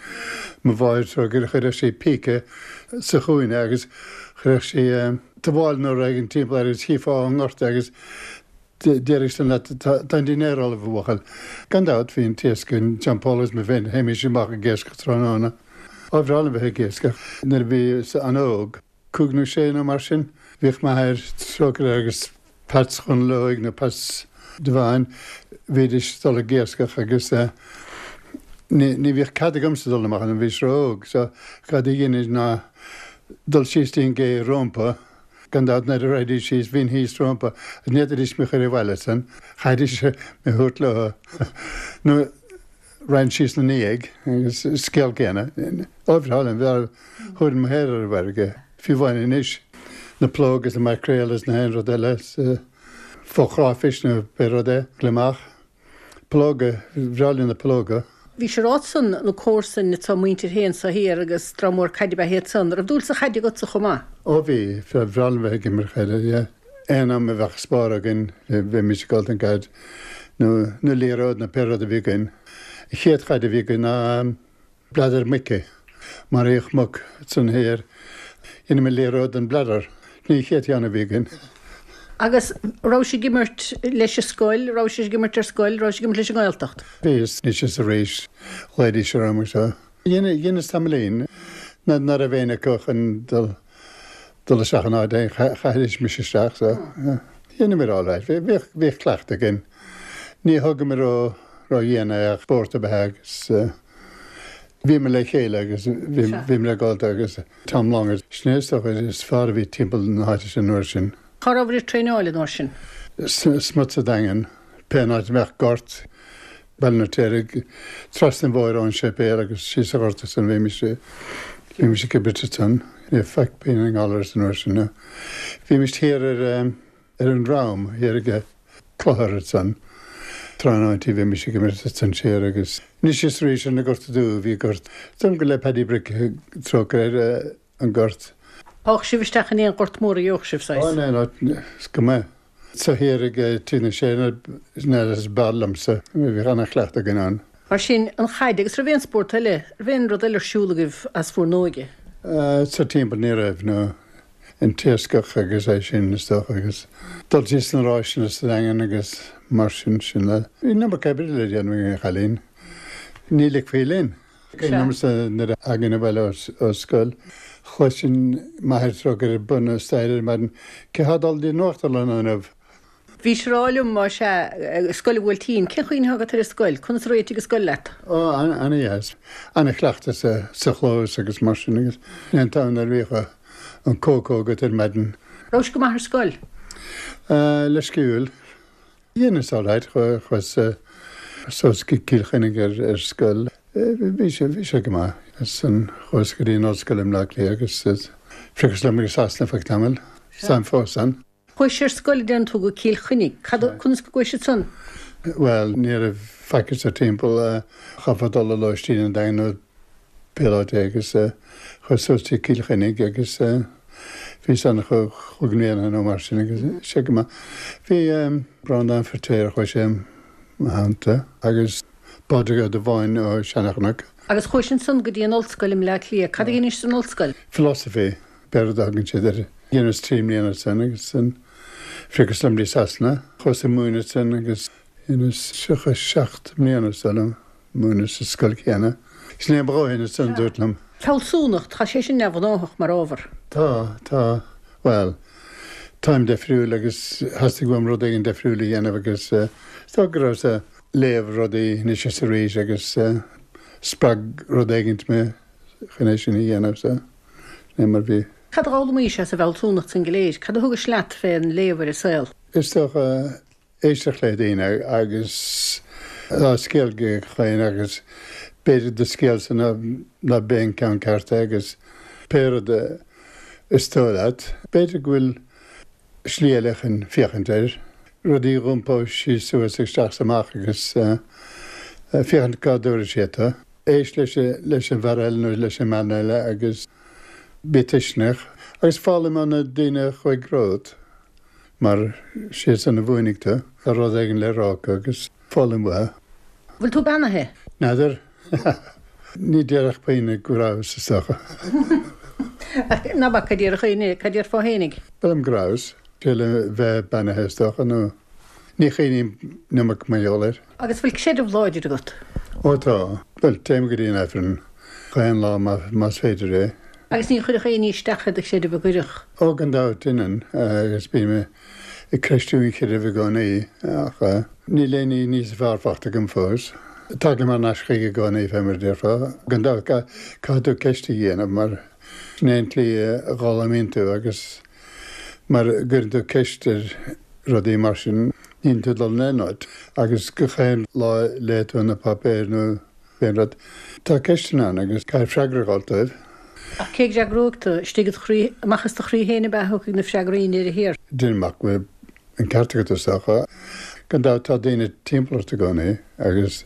mo mháthair trócaire chuireadh sí píce sa chúinne agus chuireadh sí tuáille nó rud éigin timpeall air agus chífeá ón ngort é agus déarfadh san leat tá an dinnéar ullamh a bhuachaill. Gan dabht bhí an t-iasc againn, John Paul agus mé féin, théimis amach ag iascach tráthnóna. Ba bhreá liom bheith ag iascach nuair a bhíos an-óg. 5 nó 6 nó mar sin. Bhíodh m'athair, trócaire air, agus Peats Chonaill Óig nó Peats Devine, bhídís ag dul ag iascach agus ní ní bhíodh cead agamsa dul amach ann, bhíos ró-óg so cad a dheineas ná dul síos dtí an gcé rómpa, gan dabht nuair a raghaidís síos bhínn thíos rómpa agus ní fhéadfaidís mé a chur abhaile san, chaithfidís mé a thabhairt leo nó raghainn síos ina ndiaidh agus scéal céanna. Ó bhreá liom, bheadh thabharfainn mo shaol ar an bhfarraige, fiú amháin anois, na plóga is na maicréil is na haon rud eile is fo-chráifis nó pé rud é, gliomach, plóga, bhreá linn na plóga. Bhís ag rá ansan na comharsain atá muintir féin so thiar agus dream mór caide ab ea iad san. Raibh dúil sa chaid agatsa chomh maith? Ó bhí, bhreá liom bheith ag imirt chaide, yeah. Aon am a bheadh spár againn bheimis ag dul don gcaid nó nó liathróid nó pé rud a bhí againn. An chéad chaid a bhí againn ná bladar muice. Maraíodh muc ansan thiar. Dheineamar liathróid den bladar. Sin í an chéad cheann a bhí againn. Agus raibh ag imirt leis an scoil, raibh ag imirt ar scoil, raibh ag imirt leis an nGaeltacht? Bhí, anois is arís, ghlaoidís orm agus seo. Dheineas tamaillín nuair ná raibh éinne acu chun dul dul isteach in áit éigin, chaithfidís mise isteach so dheineamar alright. Bhíodh, bhíodh cleachtadh againn. Ní thugamar ró, ró-dhian é ach spórt ab ea é agus bhíomar le chéile agus bhíomar ag gabháil agus Tom Long sin é is dócha is fearr a bhí timpeall na háite sin an uair sin. Cá rabhabhair ag traenáil an uair sin? Smut sa Daingean, pé an áit a mbeadh gort, Baile an Fheirtéaraigh, trasna an bhóthair ón séipéal agus síos sa ghort ansan bhímis, bhímis ag imirt ansan. Ní raibh faic pingin i ngallarus an uair sin. Bhímis thiar ar, ar an Drom, thiar ag clochar ansan. Tráthnóintí bhímis ag imirt ansan siar agus anois is arís ar na Gorta Dubha bhí gort. Dúirt go le Paddy Brick trócaire air an gort. Théadh sibh isteach in aon ghort mór a gheobhadh sibh, saghas? Ó, no, no, is go maith. So thiar ag Tigh na Sé na is b'fhearr liomsa. Bhíodh ana-chleachtadh againn ann. Mar sin, an chaid, agus raibh aon spórt eile, raibh aon rud eile ar siúl agaibh as bhur n-óige? Sa timpeall ní raibh, no. An t-iascach agus é sin is dócha agus dul síos sna ráiseanna sa Daingean agus mar sin, sin le. Bhí an iomarca oibre le déanamh ag an chailín. Ní ligfí linn. Cuimhin liomsa nuair a thagainn abhaile ó scoil, chloisinn m'athair trócaire air ag bun na staighre ar maidin, Cé thá ag dul dtí an nuachtlann inniu? Bhís ag rá liom, más ea, Scoil an Bhuailtín, cén chaoi a agat ar an scoil? Conas a réitigh an scoil leat? Ó, an-dheas. An-chleachtadh sa chlós agus mar sin agus an t-am nuair a bhíodh an cócó agat ar maidin. Raibh go maith ar scoil? Leisciúil. Dheineas alright, chuas suas go Cill Chainnigh ar scoil. Bhí sé, bhí sé go maith. Ansan chuas go dtí an ollscoil i mBleá Cliath agus phriocas liom go Sasana feadh tamaill. Táim fós ann. Chuais ar scoil a deireann tú go Cill Chainnigh. Cad, conas go gcuais ansan? Bhuel, ní raibh faic anso timpeall. Chaithfeá dul ar lóistín an Daingean nó pé áit é agus chuas suas dtí Cill Chainnigh agus bhíos ann chúig mbliana nó mar sin agus sé go maith. Bhí Breandán Feirtéar chuaigh sé i mo theannta agus Pádraig Ó Dubháin ó Seanchnoc. Agus chuais ansan go dtí an ollscoil i mBleá Cliath. Cad a dheinis san ollscoil? Philosophy, pé rud a thugann siad air. Dheineas 3 mbliana ansan agus. Phriocas liom dtí Sasana. Chuas ag múineadh ansin agus dheineas 37 mbliana is dóigh liom múineadh sa scoil chéanna. Sin é mo dhóthain ansan, dúirt liom. Fealsúnacht, tá sé sin neamhghnáthach mar ábhar. Tá, tá. Bhuel, táim deifriúil agus theastaigh uaim rud éigin deifriúil a dhéanamh agus is dócha go rabhas ag léamh rudaí anois is arís agus spreag rud éigint mé chun é sin a dhéanamh so sin é mar bhí. Cad a d'fhoghlaimís as an bhfealsúnacht san go léir? Cad a thugais leat fén léamh ar an saol? Is dócha éisteacht le daoine agus tá scéal ag gach éinne agus b'fhéidir do scéalsa ná b'é an ceann ceart é agus pé rud is dóigh leat, b'fhéidir go bhfuil slí eile chun féachaint air, rudaí a dh'iompó síos suas isteach is amach agus féachaint cá dtabharfaidh sé tú. Éist leis leis an bhfear eile nó leis an mbean eile agus bí tuisceanach agus foghlaim ó na daoine a chuaigh romhat mar siadsan a mhúinfidh tú. Tá rud éigin le rá acu agus foghlaim uathu. Bhfuil tú beannaithe? N'fheadar. Ní déarfadh puinn go rabhas, is dócha. Ach ná bac, cad déarfadh éinne, cad déarfá fhéinig? Dóigh liom go rabhas. Sé le bheith beannaithe, is dócha, nó ní chuimhním an iomarca mar gheall air. Agus bhfuil creideamh láidir agat? Ó tá. Bhuel, téim go dtí an Aifreann chaon lá más féidir é. Agus ní chuirfeadh aon ní isteach ar do chreideamh an gcuirfeadh? Ó, gan dabht, deineann, agus bím ag ceistiú an chreidimh i gcónaí, ach níl aon ní níos fearr faighte agam fós. Tagaim thar n-ais chuige i gcónaí, fé mar a déarfá. Gan dabht, caithfidh tú ceist a dhéanamh, mar sin é an tslí a bhfoghlaimíonn tú, agus mara gcuireann tú ceist ar rudaí mar sin, níl tú ag dul in aon áit. Agus gach aon lá a léigh tú na páipéir nó aon rud, tá ceisteanna ann agus caithfidh freagra a dh'fháilt dóibh. Ach cé go bhfreagróidh tú? Istigh id chroí, amach as do chroí féin ab ea a thiocfaidh na freagraí i ndeireadh thiar? Déanaim amach go bhfuil an ceart agat is dócha. Gan dabht tá daoine timpeall ort i gcónaí agus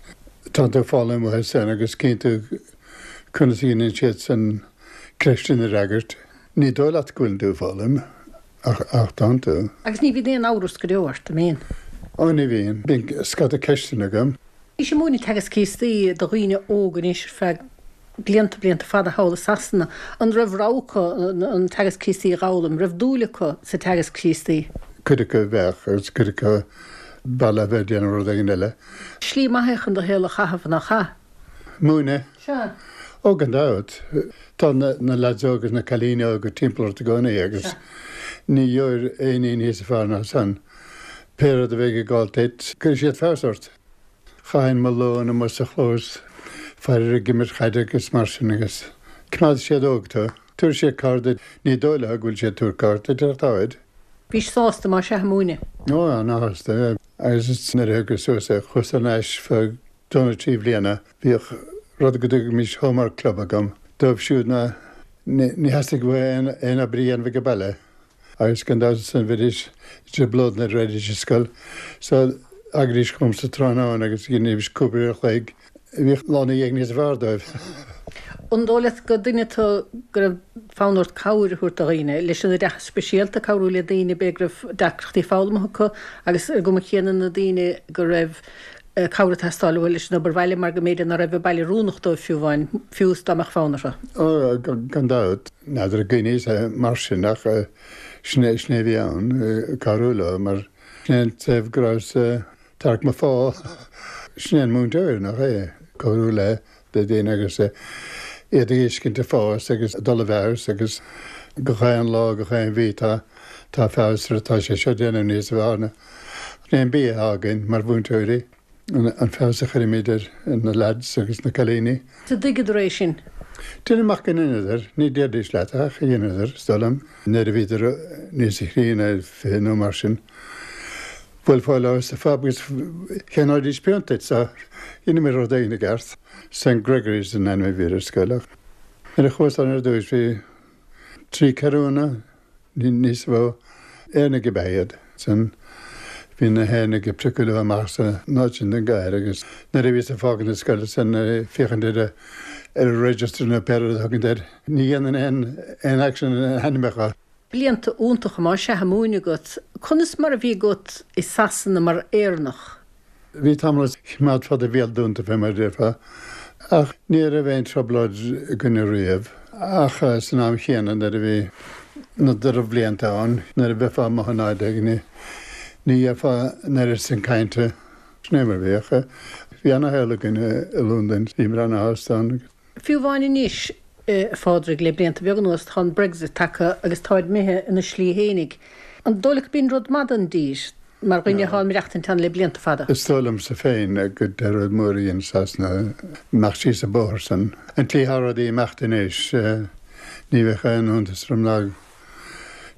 tá tú ag foghlaim uathu san agus cíonn tú conas a dhéanann siad san ceisteanna a fhreagairt. Ní dóigh leat go bhfuileann tú ag foghlaim ach ach tánn tú. Agus ní bhíonn aon amhras go deo ort, an mbíonn? Ó ní bhíonn. Bíonn scata ceisteanna agam. Bhís ag múineadh Teagasc Críostaí do dhaoine óga anois ar feadh blianta, blianta fada thall i Sasana. An raibh rogha acu an Teagasc Críostaí a dh'fhoghlaim? Raibh dúil acu sa Teagasc Críostaí? Cuid acu bheadh agus cuid acu b'fhearr leo bheith ag déanamh rud éigin eile. Slí maith é chun do shaol a chaitheamh, nach ea? Múineadh? Sea. Ó, gan dabht. Tá na leaids óga agus na cailíní óga timpeall ort i gcónaí agus ní gheobhair aon ní níos fearr ná san. Pé rud a bheidh ag gabháil duit, cuirfidh siad feabhas ort. Chaithinn mo lón amuigh sa chlós, faraor ag imirt chaide agus mar sin agus coimeádfaidh siad óg tú. Tabharfaidh siad cabhair duit, ní dóigh leo go bhfuil siad ag tabhairt cabhair duit ach táid. Bhís sásta más ea ag múineadh? Ó, ana-shásta. Agus nuair a thiocfadh suas é, chuas thar n-ais feadh dó nó 3 bhliana, bhíodh rud go dtugaimis homework club agam dóibh siúd ná ní theastaigh uathu aon obair a dhéanamh ag baile agus gan dabht ansan bheidís i dtrioblóid nuair a raghaidís ar scoil so thagaidís chugam sa tráthnóna agus dheinimís cúpla uair a chloig bhíodh lá ina dhiaidh níos fearr dóibh. An dóigh leat gur duine tú go raibh fonn ort cabhair a thabhairt do dhaoine, leis an oideachas speisialta, cabhrú le daoine b'fhéidir go raibh deacrachtaí foghlama acu agus ar an gcuma chéanna na daoine go raibh cabhair ag teastáil uathu leis an obair bhaile mar go mb'fhéidir ná raibh an baile oiriúnach dóibh fiú amháin, fiú is dá mbeadh fonn orthu. Ó, gan dabht. N'fheadar an gcuimhníos mar sin ach sin é, sin é a bhí ann, cabhrú leo mar sin é an taobh go rabhas ag tarrac mo phá. Sin é an múinteoir, nach é? Cabhrú le daoine agus iad a fheiscint ag fás agus ag dul i bhfeabhas agus gach aon lá, gach aon mhí tá, tá feabhas ar, tá sé seo ag déanamh níos fearr ná. Sin é an bia atá againn mar mhúinteoirí, an feabhas a chuirimid ar na lads agus na cailíní. An dtuigeadar é sin? Déanaim amach go ndeineadar, ní déarfaidís leat ach dheineadar, is dóigh liom, nuair a bhíodar níos críonna, 20 nó mar sin. Bhuailfeá leo sa phub agus cheannóidís pionta duit, so dheineamar rud éigin i gceart. St Gregory's an ainm a bhí ar an scoil ach nuair a chuas ann ar dtúis bhí 3 ceathrúna, níos mó, Éireannaigh ab ea iad. Ansin bhí na hÉireannaigh ag priocadh leo amach san áit sin den gcathair agus nuair a bhíos ag fágaint na scoile ansin ag féachaint ar an register nó pé rud a thugann air, ní dhéanann aon action ar na hainmneacha. Blianta iontacha más ea ag múineadh agat. Conas mar a bhí agat i Sasana mar Éireannach? Bhí tamall a choimeádfá do bhéal dúnta fé mar a déarfá, ach ní raibh aon trioblóid againne riamh. Ach san am chéanna nuair a bhí. na drochbhlianta ann, nuair a bheifeá amuigh in áit éigin, ní dhéarfá an oiread sin cainte. Sin é mar a bhíodh. Bhí ana-shaol againn i Londain, bhíomar ana-shásta ann. Fiú amháin anois, a Phádraig, le blianta beaga anuas, tá an Brexit tagtha agus táid imithe ina slí fhéinig. An dóigh leat gurb in rud maith don dtír, mar dhuine atá ag maireachtaint ann le blianta fada? Is dóigh liomsa féin gur rud mór a dhein Sasana imeacht síos an bóthar san. An tslí atá rudaí ag imeacht anois, ní bheadh aon iontas orm ná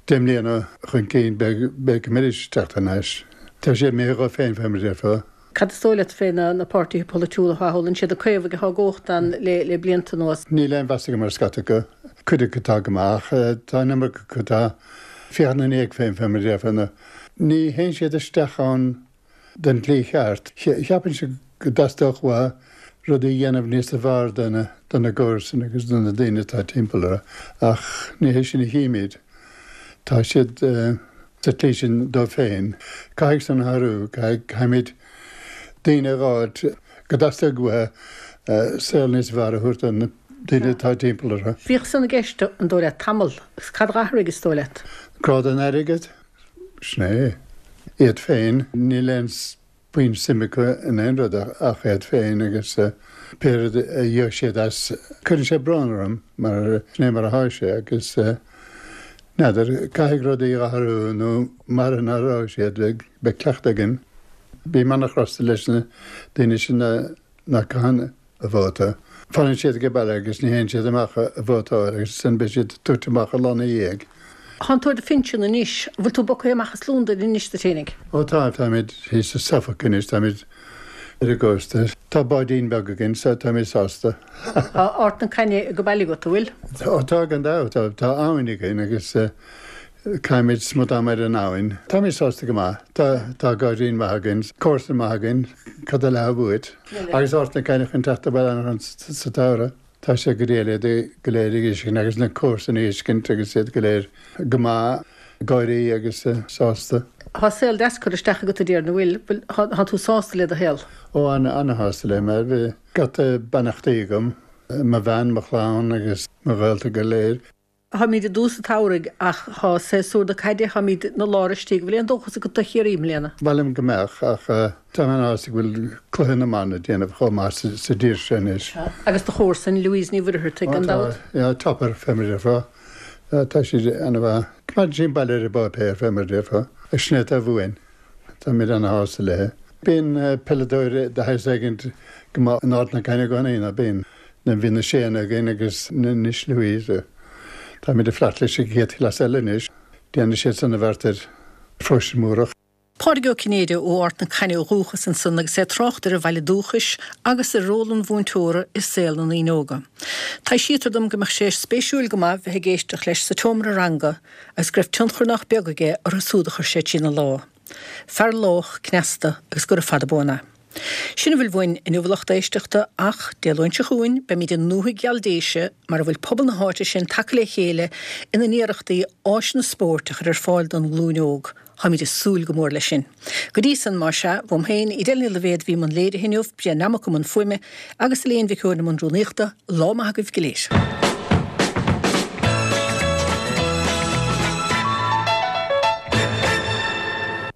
10 mbliana chun cinn beidh go mbeidís ag teacht thar n-ais. Tá siad imithe dhóibh féin fé mar a déarfá. Cad is dóigh leat fé na páirtithe polaitiúla atá thall? An siad na Caomhaigh atá i gcumhacht ann le blianta anuas? Níl aon mheas agam ar scata acu. Cuid acu atá go maith ach tá an iomarca acu atá ag féachaint ina ndiaidh féin fé mar a déarfá. Ní théann siad isteach ann den tslí cheart. Cheapfainnse go dteastódh uathu rudaí a dhéanamh níos fearr do na gcomharsain agus do na daoine atá timpeall orthu ach ní hé sin a chímid. Tá siad sa tslí sin dóibh féin. Caithfidh san athrú, caithfimid daoine a dh'fháilt go dteastóidh uathu saol níos fearr a thabhairt do na daoine atá timpeall orthu. Bhíodh san i gceist, an dóigh leat, tamall, agus cad a dh'athraigh, is dóigh leat? Grá don airgead, sin é. Iad féin, níl aon puinn suim acu in aon rud ach iad féin agus pé rud a gheobhaidh siad as. Cuireann sé brón orm mar sin é mar atá sé agus n'fheadar, caithfidh rudaí a athrú nó mara n-athróidh siad beidh cleachtadh againn. Bím ana-chrosta leis na daoine sin nach gcaitheann a vóta. Fanann siad age baile agus ní théann siad amach a vótáil agus ansin beidh siad tabhairt amach an lá ina dhiaidh. Tánn tú ar do phinsean anois. An bhfuil tú bogtha amach as Londain anois duit fhéinig? Ó tá, táimid thíos i Suffolk anois, táimid ar an gcósta. Tá báidín beag againn so táimid sásta. Tá Ard na Cainne go baile agat, an bhfuil? Ó tá gan dabht, tá abhainn againn agus Caithimid smut ama ar an abhainn. Táimid sásta go maith. Tá, tá gairdín maith againn, comharsan maith againn, cad eile atá uait? Agus Ard na Cainne chun teacht abhaile sa tsamhradh. Tá sé go diail iad go léir ag uiscint agus na comharsana ag uiscint agus iad go léir go maith, ag gáirí agus sásta. Tá saol deas curtha isteach agat a déarfainn, an bhfuil? Bhfuil, tá tú sásta le do shaol? Ó, ana, ana-shásta le mar bhí scata beannachtaí agam, mo bhean, mo chlann agus mo ghaolta go léir. Táimid i dtús an tsamhraidh ach tá séasúr na caide, táimid ina lár istigh. Bhfuil aon dóchas agat do Chiarraí i mbliana? Ba mhaith liom go mbeadh ach tá mé ana-shásta go bhfuil cluiche na mban ag déanamh chomh maith sa dtír seo anois. Agus do chomharsain, Louise Ní Mhuircheartaigh, gan dabht. Ó tá, topper fé mar a déarfá. Tá siad ana-mhaith. Coimeádann sí an baile ar an bpáipéar fé mar a déarfá. Agus sin é atá uainn. Táimid ana-shásta léi. Bíonn peileadóir de shaghas éigint go maith in Ard na Cainne i gcónaí, ná bíonn? Bhí na Séanna againn agus anois Louise. Táimid ag fanacht leis an gcéad chleas eile anois. Déanfaidh siad san a bheart ar Phróiste Múrach. Pádraig Ó Cinnéide ó Ard na Cainne ó dhúchas ansan agus é ag trácht ar a bhaile dúchais agus ar ról an mhúinteora i saol na ndaoine óga. Taibhsítear dom go mbeadh sé spéisiúil go maith bheith ag éisteacht leis sa tseomra ranga agus go raibh tionchar nach beag aige orthu súd a chuir sé trína lámha. Fear lách, cneasta agus gura fada buan é. Sin a bhfuil uainn inniu a lucht éisteachta ach Dé Luain seo chugainn beimid i ndúthaigh gheal Déise mar a bhfuil pobal na háite sin tagtha le chéile ina n-iarrachtaí áiseanna spóirt a chur ar fáil don nglúin óg. Táimid ag súil go mór leis sin. Go dtí san, más ea, uaim féin, Edel Ní Loibhéad a bhí i mbun léirithe inniu, Brian Nammock i mbun fuaime agus Elaine Mhic Eoin i mbun rúnaíochta, lá maith agaibh go léir.